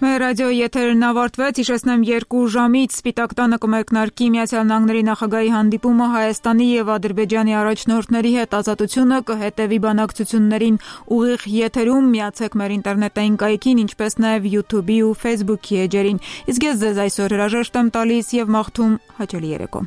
Մեր ռադիոյի եթերն ավարտվեց, հիշեցնեմ երկու ժամից Սպիտակ տանը կմեկնարկի Միացյալ Նահանգների նախագահի հանդիպումը Հայաստանի եւ Ադրբեջանի առաջնորդների հետ, Ազատությունը կհետեւի բանակցություններին ուղիղ եթերում, միացեք մեր ինտերնետային կայքին, ինչպես նաեւ YouTube-ի ու Facebook-ի էջերին։ Իսկ ես ձեզ այսօր հրաժեշտ եմ տալիս եւ մաղթում հաճելի երեկո։